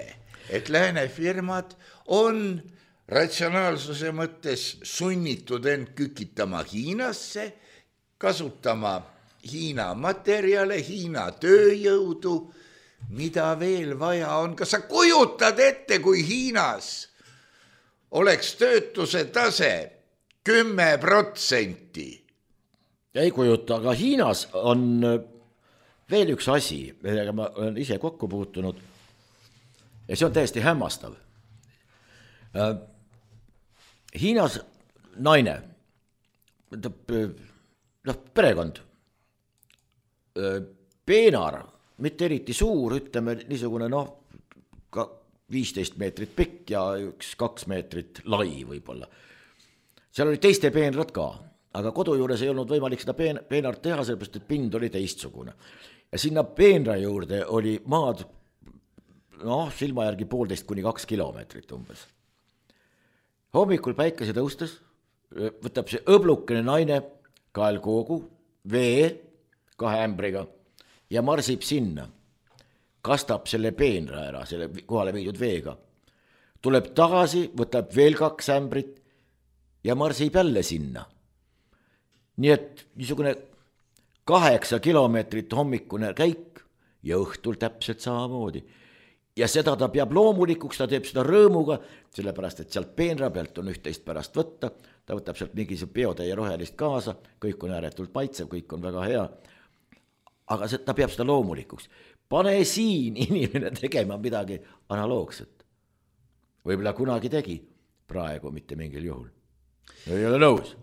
et lääne firmad on ratsionaalsuse mõttes sunnitud end kükitama Hiinasse, kasutama Hiina materjale, Hiina tööjõudu, mida veel vaja on. Kas sa kujutad ette, kui Hiinas oleks töötuse tase kümme protsenti? Ei kujuta, aga Hiinas on veel üks asi, millega ma olen ise kokku puutunud ja see on täiesti hämmastav. Hiinas naine, noh, perekond, peenar, mitte eriti suur, ütleme niisugune, noh, viisteist meetrit pikk ja üks kaks meetrit lai võib-olla. Seal oli teiste peenrad ka, aga kodu juures ei olnud võimalik seda peen, peenart teha, sellepärast, et pind oli teistsugune. Ja sinna peenra juurde oli maad, noh, silma järgi poolteist kuni kaks kilomeetrit umbes. Hommikul päikese tõustes võtab see õblukene naine kaelkoogu, vee kahe ämbriga ja marsib sinna. Kastab selle peenra ära, selle kohale viidud veega. Tuleb tagasi, võtab veel kaks ämbrit ja marsib jälle sinna. Nii et niisugune kaheksa kilomeetrit hommikune käik ja õhtul täpselt samamoodi. Ja seda ta peab loomulikuks, ta teeb seda rõõmuga, sellepärast, et sealt peenra pealt on üht-teist pärast võtta, ta võtab sealt mingisugune biotäie rohelist kaasa, kõik on ääretult maitsev, kõik on väga hea, aga see, ta peab seda loomulikuks. Pane siin inimene tegema midagi analoogset. Võib-olla kunagi tegi, praegu mitte mingil juhul. Ei ole nõus.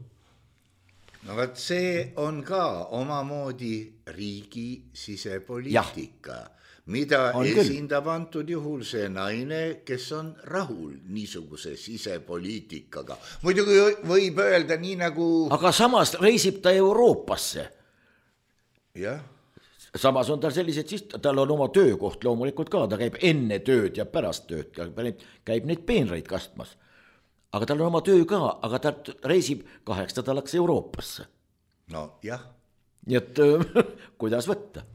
No vaat see on ka omamoodi riigi sisepoliitika. Ja. Mida on esindab küll antud juhul see naine, kes on rahul niisuguse sisepoliitikaga. Muidugi võib öelda nii nagu... Aga samas reisib ta Euroopasse. Jah. Samas on tal sellised, siis tal on oma töökoht loomulikult ka, ta käib enne tööd ja pärast tööd, käib neid peenraid kastmas. Aga tal on oma töö ka, aga ta reisib kaheks nädalaks Euroopasse. No jah. Nii et kuidas võtta?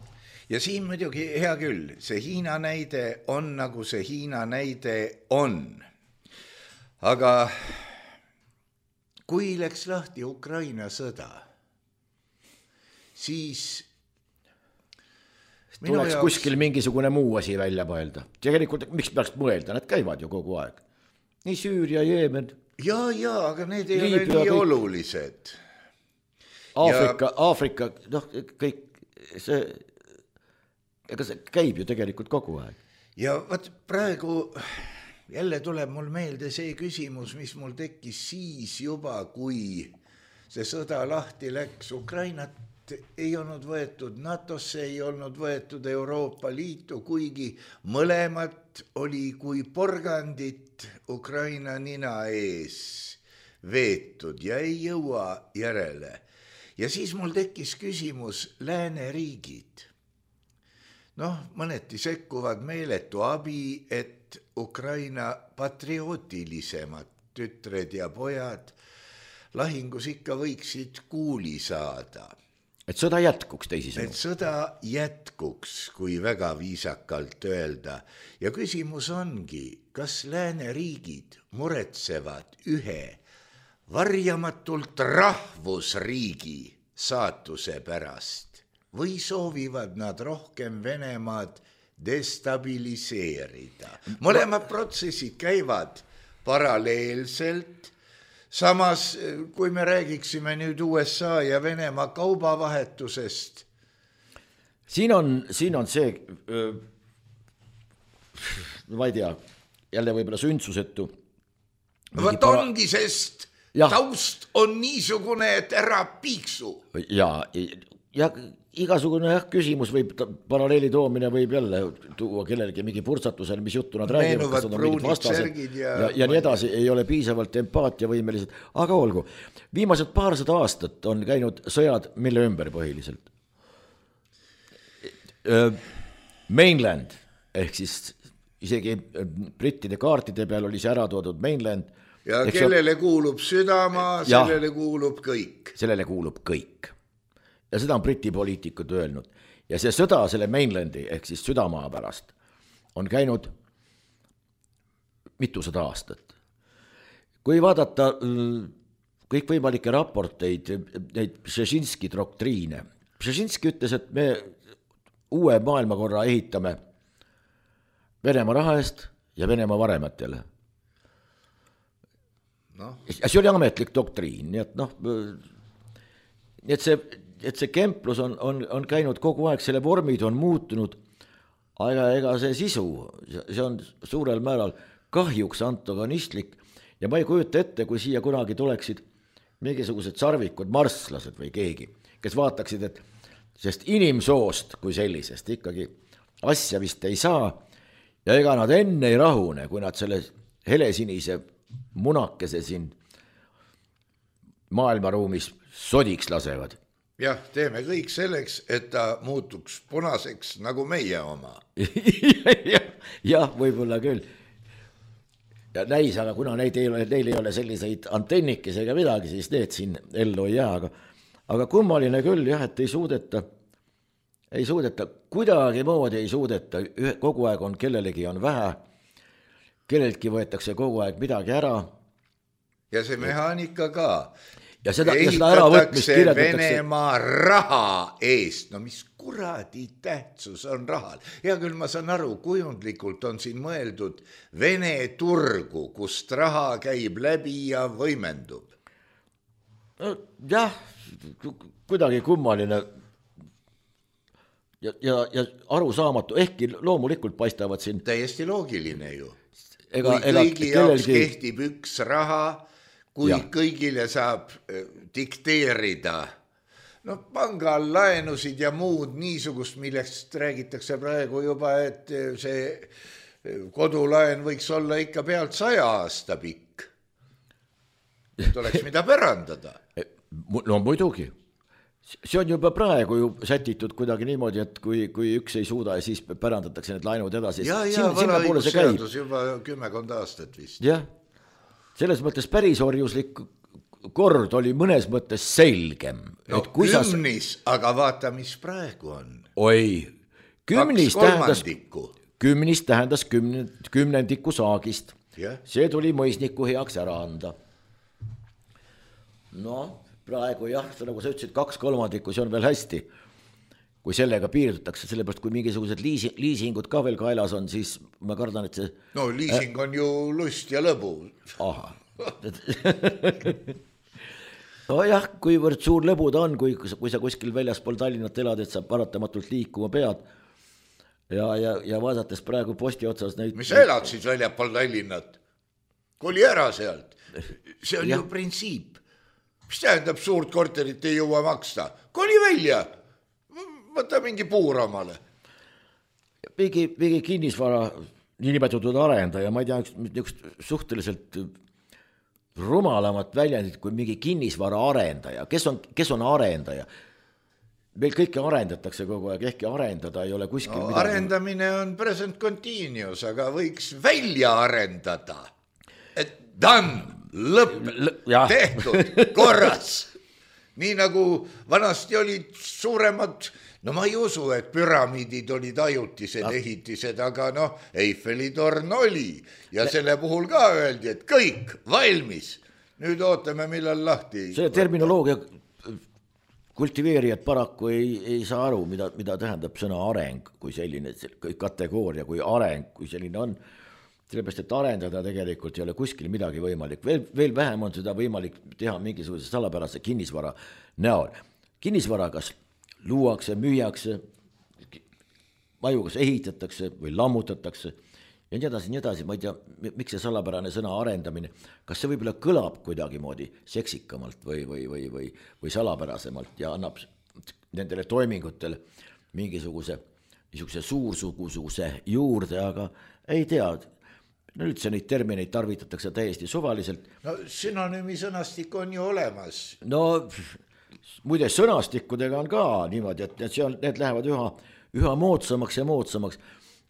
Ja siin muidugi hea küll, see Hiina näide on nagu see Hiina näide on. Aga kui läks lahti Ukraina sõda, siis tuleks jaoks... kuskil mingisugune muu asi välja mõelda. Tegelikult, miks peaks mõelda, nad käivad ju kogu aeg. Nii Süüria, Jeemen. Ja, ja, aga need ei Liibüa, ole nii kõik... olulised. Aafrika, ja... Aafrika, noh, kõik see, ega see käib ju tegelikult kogu aeg. Ja võt praegu... Jälle tuleb mul meelde see küsimus, mis mul tekkis siis juba, kui see sõda lahti läks. Ukrainat ei olnud võetud NATOsse, ei olnud võetud Euroopa Liitu, kuigi mõlemat oli kui porgandit Ukraina nina ees veetud ja ei jõua järele. Ja siis mul tekkis küsimus lääneriigid. Noh, mõneti sekkuvad meeletu abi, et Ukraina patriootilisemad tütred ja pojad lahingus ikka võiksid kuuli saada. Et sõda jätkuks teisisõnu. Et sõda jätkuks, kui väga viisakalt öelda. Ja küsimus ongi, kas lääneriigid muretsevad ühe varjamatult rahvusriigi saatuse pärast või soovivad nad rohkem Venemaad destabiliseerida. Mõlemad protsessid käivad paralleelselt. Samas, kui me räägiksime nüüd U S A ja Venemaa kaubavahetusest. Siin on, siin on see, ma ei tea, jälle võib-olla sündsusetu. Võt para... ongi, sest ja. Taust on niisugune, et ära piiksu. Ja, ja igasugune jah, küsimus võib, paralleeli toomine võib jälle tuua kellelegi mingi purtsatusel, mis juttu nad räägivad, kas on mingid vastased ja, ja, ja nii edasi, ei ole piisavalt empaatiavõimelised, aga olgu. Viimased paarsada aastat on käinud sõjad mille ümber põhiliselt. Mainland, ehk siis isegi brittide kaartide peal oli see ära toodud Mainland. Ja kellele on... kuulub südamaa, sellele ja, kuulub kõik. Sellele kuulub kõik. Ja seda on briti poliitikud öelnud. Ja see sõda selle Mainlandi, ehk siis südamaa pärast, on käinud mitusada aastat. Kui vaadata kõikvõimalikke raporteid, neid Brzezinski doktriine, Brzezinski ütles, et me uue maailmakorra ehitame Venemaa raha eest ja Venemaa varematele. No. Ja see oli ametlik doktriin, nii et noh, nii et see et see kemplus on, on, on käinud kogu aeg, selle vormid on muutunud, aga ega see sisu, see on suurel määral kahjuks antagonistlik ja ma ei kujuta ette, kui siia kunagi tuleksid mingisugused sarvikud, marslased või keegi, kes vaataksid, et sest inimsoost kui sellisest ikkagi asja vist ei saa ja ega nad enne ei rahune, kui nad selle helesinise munakese siin maailmaruumis sodiks lasevad. Jah, teeme kõik selleks, et ta muutuks punaseks nagu meie oma. Jah, võib-olla küll. Ja näis, aga kuna neid ei ole, neil ei ole selliseid antennikes ega midagi, siis need siin ellu ei jää. Aga, aga kummaline küll, jah, et ei suudeta, ei suudeta, kuidagi moodi ei suudeta, kogu aeg on, kellelegi on vähe, kelleltki võetakse kogu aeg midagi ära. Ja see mehaanika ka. Ja seda, ja seda äravõtmist kirjeldatakse Venemaa raha eest, no mis kuradi tähtsus on rahal. Ja küll ma saan aru, kujundlikult on siin mõeldud Vene turgu, kust raha käib läbi ja võimendub. No, jah, kuidagi kummaline ja, ja, ja arusaamatu, ehkki loomulikult paistavad siin. Täiesti loogiline ju. Ega, kui ega, kõigi jaoks kellelgi... kehtib üks raha, kui ja. Kõigile saab dikteerida, no pangal laenusid ja muud niisugust, millest räägitakse praegu juba, et see kodulaen võiks olla ikka pealt saja aasta pikk. Et oleks mida pärandada. No muidugi. See on juba praegu ju sätitud kuidagi niimoodi, et kui, kui üks ei suuda ja siis pärandatakse need laenud edasi. Ja, ja, varaõigusseadus juba kümmekond aastat vist. Jah. Selles mõttes päris orjuslik kord oli mõnes mõttes selgem. No et kümnis, sa... aga vaata, mis praegu on. Oi, kümnis tähendas, kümnis tähendas kümne, kümnendiku saagist. Yeah. See tuli mõisniku heaks ära anda. No, praegu jah, nagu sa ütlesid, kaks kolmandikku, see on veel hästi. kui sellega piirdutakse, sellepärast kui mingisugused liisi, liisingud ka veel kaelas on, siis ma kardan, et see... No liising on ju lust ja lõbu. Aha. No jah, kuivõrd suur lõbu ta on, kui, kui sa kuskil väljaspool Tallinnat elad, et sa paratamatult liikuma pead ja, ja, ja vaadates praegu posti otsas neid... Mis sa elad siis väljaspool Tallinnat? Koli ära sealt. See on ja. Ju printsiip. Mis tähendab suurt korterit ei jõua maksta? Koli välja! Võta mingi puur omale. Mingi, mingi kinnisvara niinimetatud arendaja, ma ei tea, üks suhteliselt rumalamat väljendit kui mingi kinnisvara arendaja. Kes on, kes on arendaja? Meil kõike arendatakse kogu aeg, ehkki arendada ei ole kuskil no, midagi. Arendamine on present continuous, aga võiks välja arendada. Et done, lõpp, L- tehtud, korras. Nii nagu vanasti olid suuremad, no ma ei usu, et püramiidid olid ajutised no. ehitised, aga noh, Eiffeli torn oli ja Le- selle puhul ka öeldi, et kõik valmis. Nüüd ootame, millal lahti. See terminoloogia kultiveerijad paraku ei, ei saa aru, mida, mida tähendab sõna areng kui selline kategooria, kui areng, kui selline on. Sellepärast, et arendada tegelikult ei ole kuskil midagi võimalik. Veel, veel vähem on seda võimalik teha mingisuguse salapärase kinnisvara näol. Kinnisvara kas luuakse, müüakse, maju kas ehitatakse või lammutatakse ja nii edasi, nii edasi. Ma ei tea, miks see salapärane sõna arendamine, kas see võib-olla kõlab kuidagi moodi seksikamalt või, või, või, või, või salapärasemalt ja annab nendele toimingutele mingisuguse, mingisuguse suursugususe juurde, aga ei tea, no üldse neid termineid tarvitatakse täiesti suvaliselt. No sünonüümi sõnastik on ju olemas. No muide sõnastikkudega on ka niimoodi, et see on, need lähevad üha, üha moodsamaks ja moodsamaks.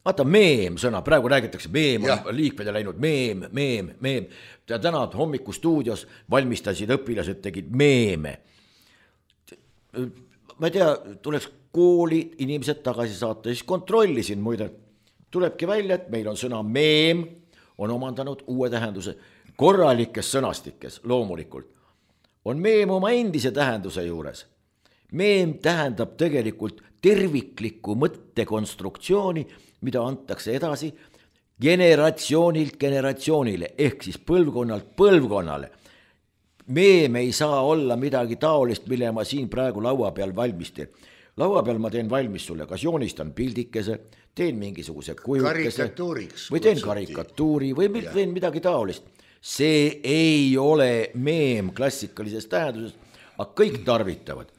Vaata meem sõna, praegu räägitakse, meem on ja. Liikmede läinud, meem, meem, meem. Ja täna hommiku stuudios valmistasid õpilased, tegid meeme. Ma ei tea, tuleks kooli inimesed tagasi saata, siis kontrollisin muide. Tulebki välja, et meil on sõna meem, on omandanud uue tähenduse korralikes sõnastikes loomulikult. On meem oma endise tähenduse juures. Meem tähendab tegelikult terviklikku mõttekonstruktsiooni, mida antakse edasi generatsioonilt generatsioonile, ehk siis põlvkonnalt põlvkonnale. Meem ei saa olla midagi taolist, mille ma siin praegu laua peal valmistin. Laua peal ma teen valmis sulle, kas joonistan pildikese, teen mingisuguse kujukese või teen karikatuuri või teen midagi taolist. See ei ole meem klassikalises tähenduses, aga kõik tarvitavad.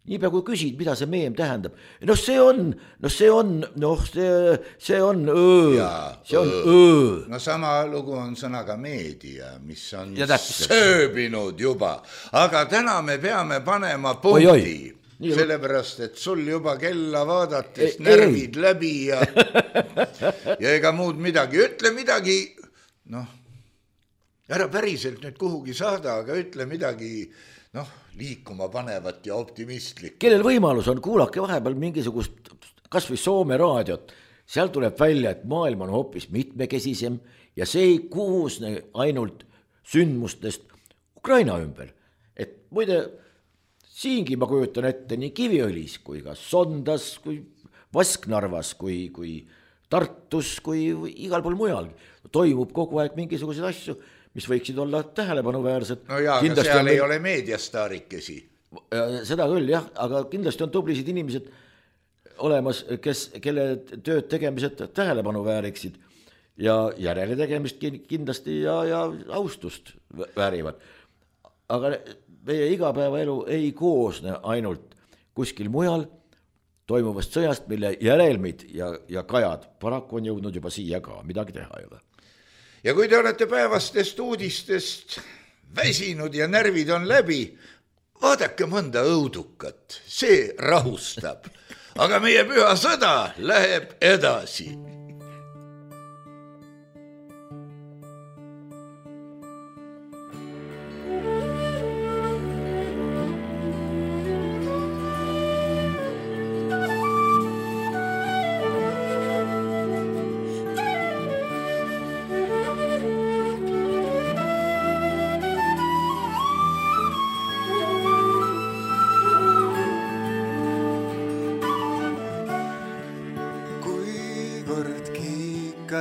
Niipea kui küsid, mida see meem tähendab, noh see on, noh see on, noh see, see on öö, ja, see on öö. öö. No sama lugu on sõnaga meedia, mis on sööbinud juba, aga täna me peame panema punkti. Oi, oi. Nii, sellepärast, et sul juba kella vaadates ei, närvid ei. Läbi ja, ja ega muud midagi. Ütle midagi, noh, ära päriselt nüüd kuhugi saada, aga ütle midagi, noh, liikuma panevat ja optimistlik. Kellel võimalus on, kuulake vahepeal mingisugust, kas või Soome raadiot, seal tuleb välja, et maailm on hoopis mitmekesisem ja see ei kuusne ainult sündmustest Ukraina ümber. Et muide, siingi ma kujutan ette nii Kiviõlis kui ka Sondas, kui Vasknarvas, kui, kui Tartus, kui igal pool mujal. Toimub kogu aeg mingisuguseid asju, mis võiksid olla tähelepanuväärsed. No jaa, aga seal on... ei ole meediastaarikesi. Seda küll, jah, aga kindlasti on tublisid inimesed olemas, kes, kelle tööd tegemised tähelepanu vääriksid ja järele tegemist kindlasti ja, ja austust väärivad. Aga meie igapäevaelu ei koosne ainult kuskil mujal toimuvast sõjast, mille järelmid ja, ja kajad paraku on jõudnud juba siia ka, midagi teha ei ole. Ja kui te olete päevastest uudistest väsinud ja närvid on läbi, vaadake mõnda õudukat, see rahustab. Aga meie püha sõda läheb edasi.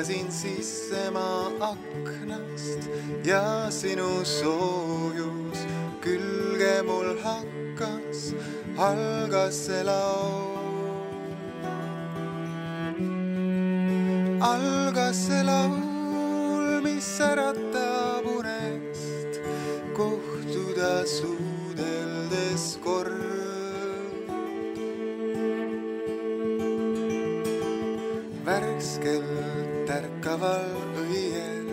vaatasin sisse ma aknast ja sinu soojus külge mul hakkas, algas see laul. Algas see laul, mis äratab unest, kohtuda suudeldes kord. Värskelt ärkaval õiel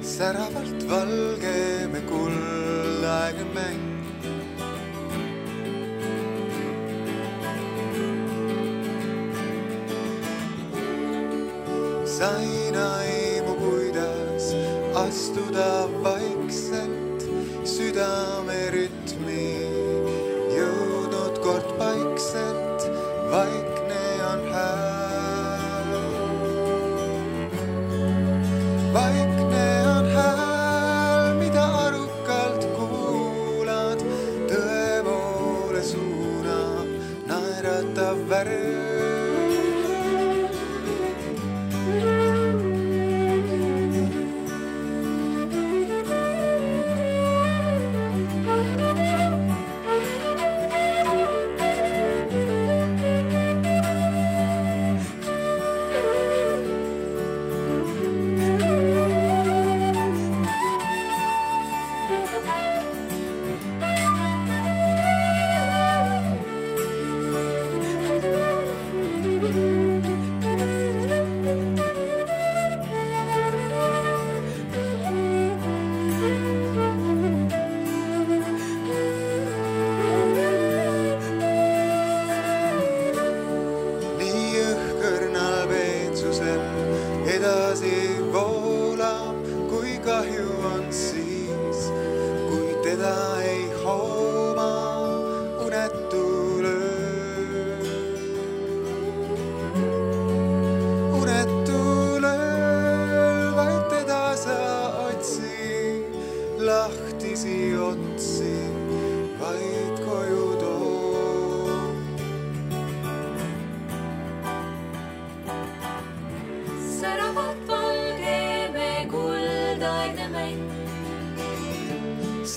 säravalt valge me kullaegne mäng. Sain aimu, kuidas astuda vaikselt südame rütmi, jõudnud kord paikselt, vaikne on hääl. Vaikne on hääl, mida arukalt kuulad, tõepoole suunab naeratav värv.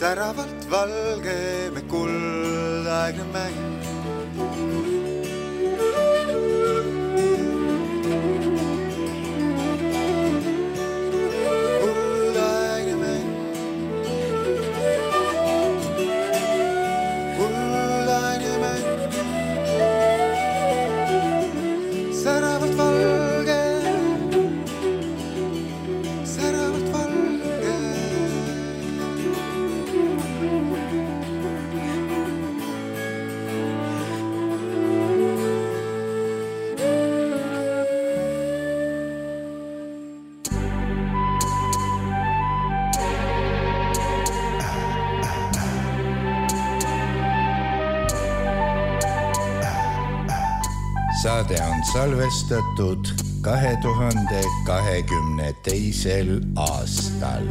Säravalt valge me kullaegne mäng. Kullaegne mäng. Kullaegne mäng. Säravalt valge. Säravalt valge. Saade on salvestatud kahe tuhande kahekümne teisel aastal.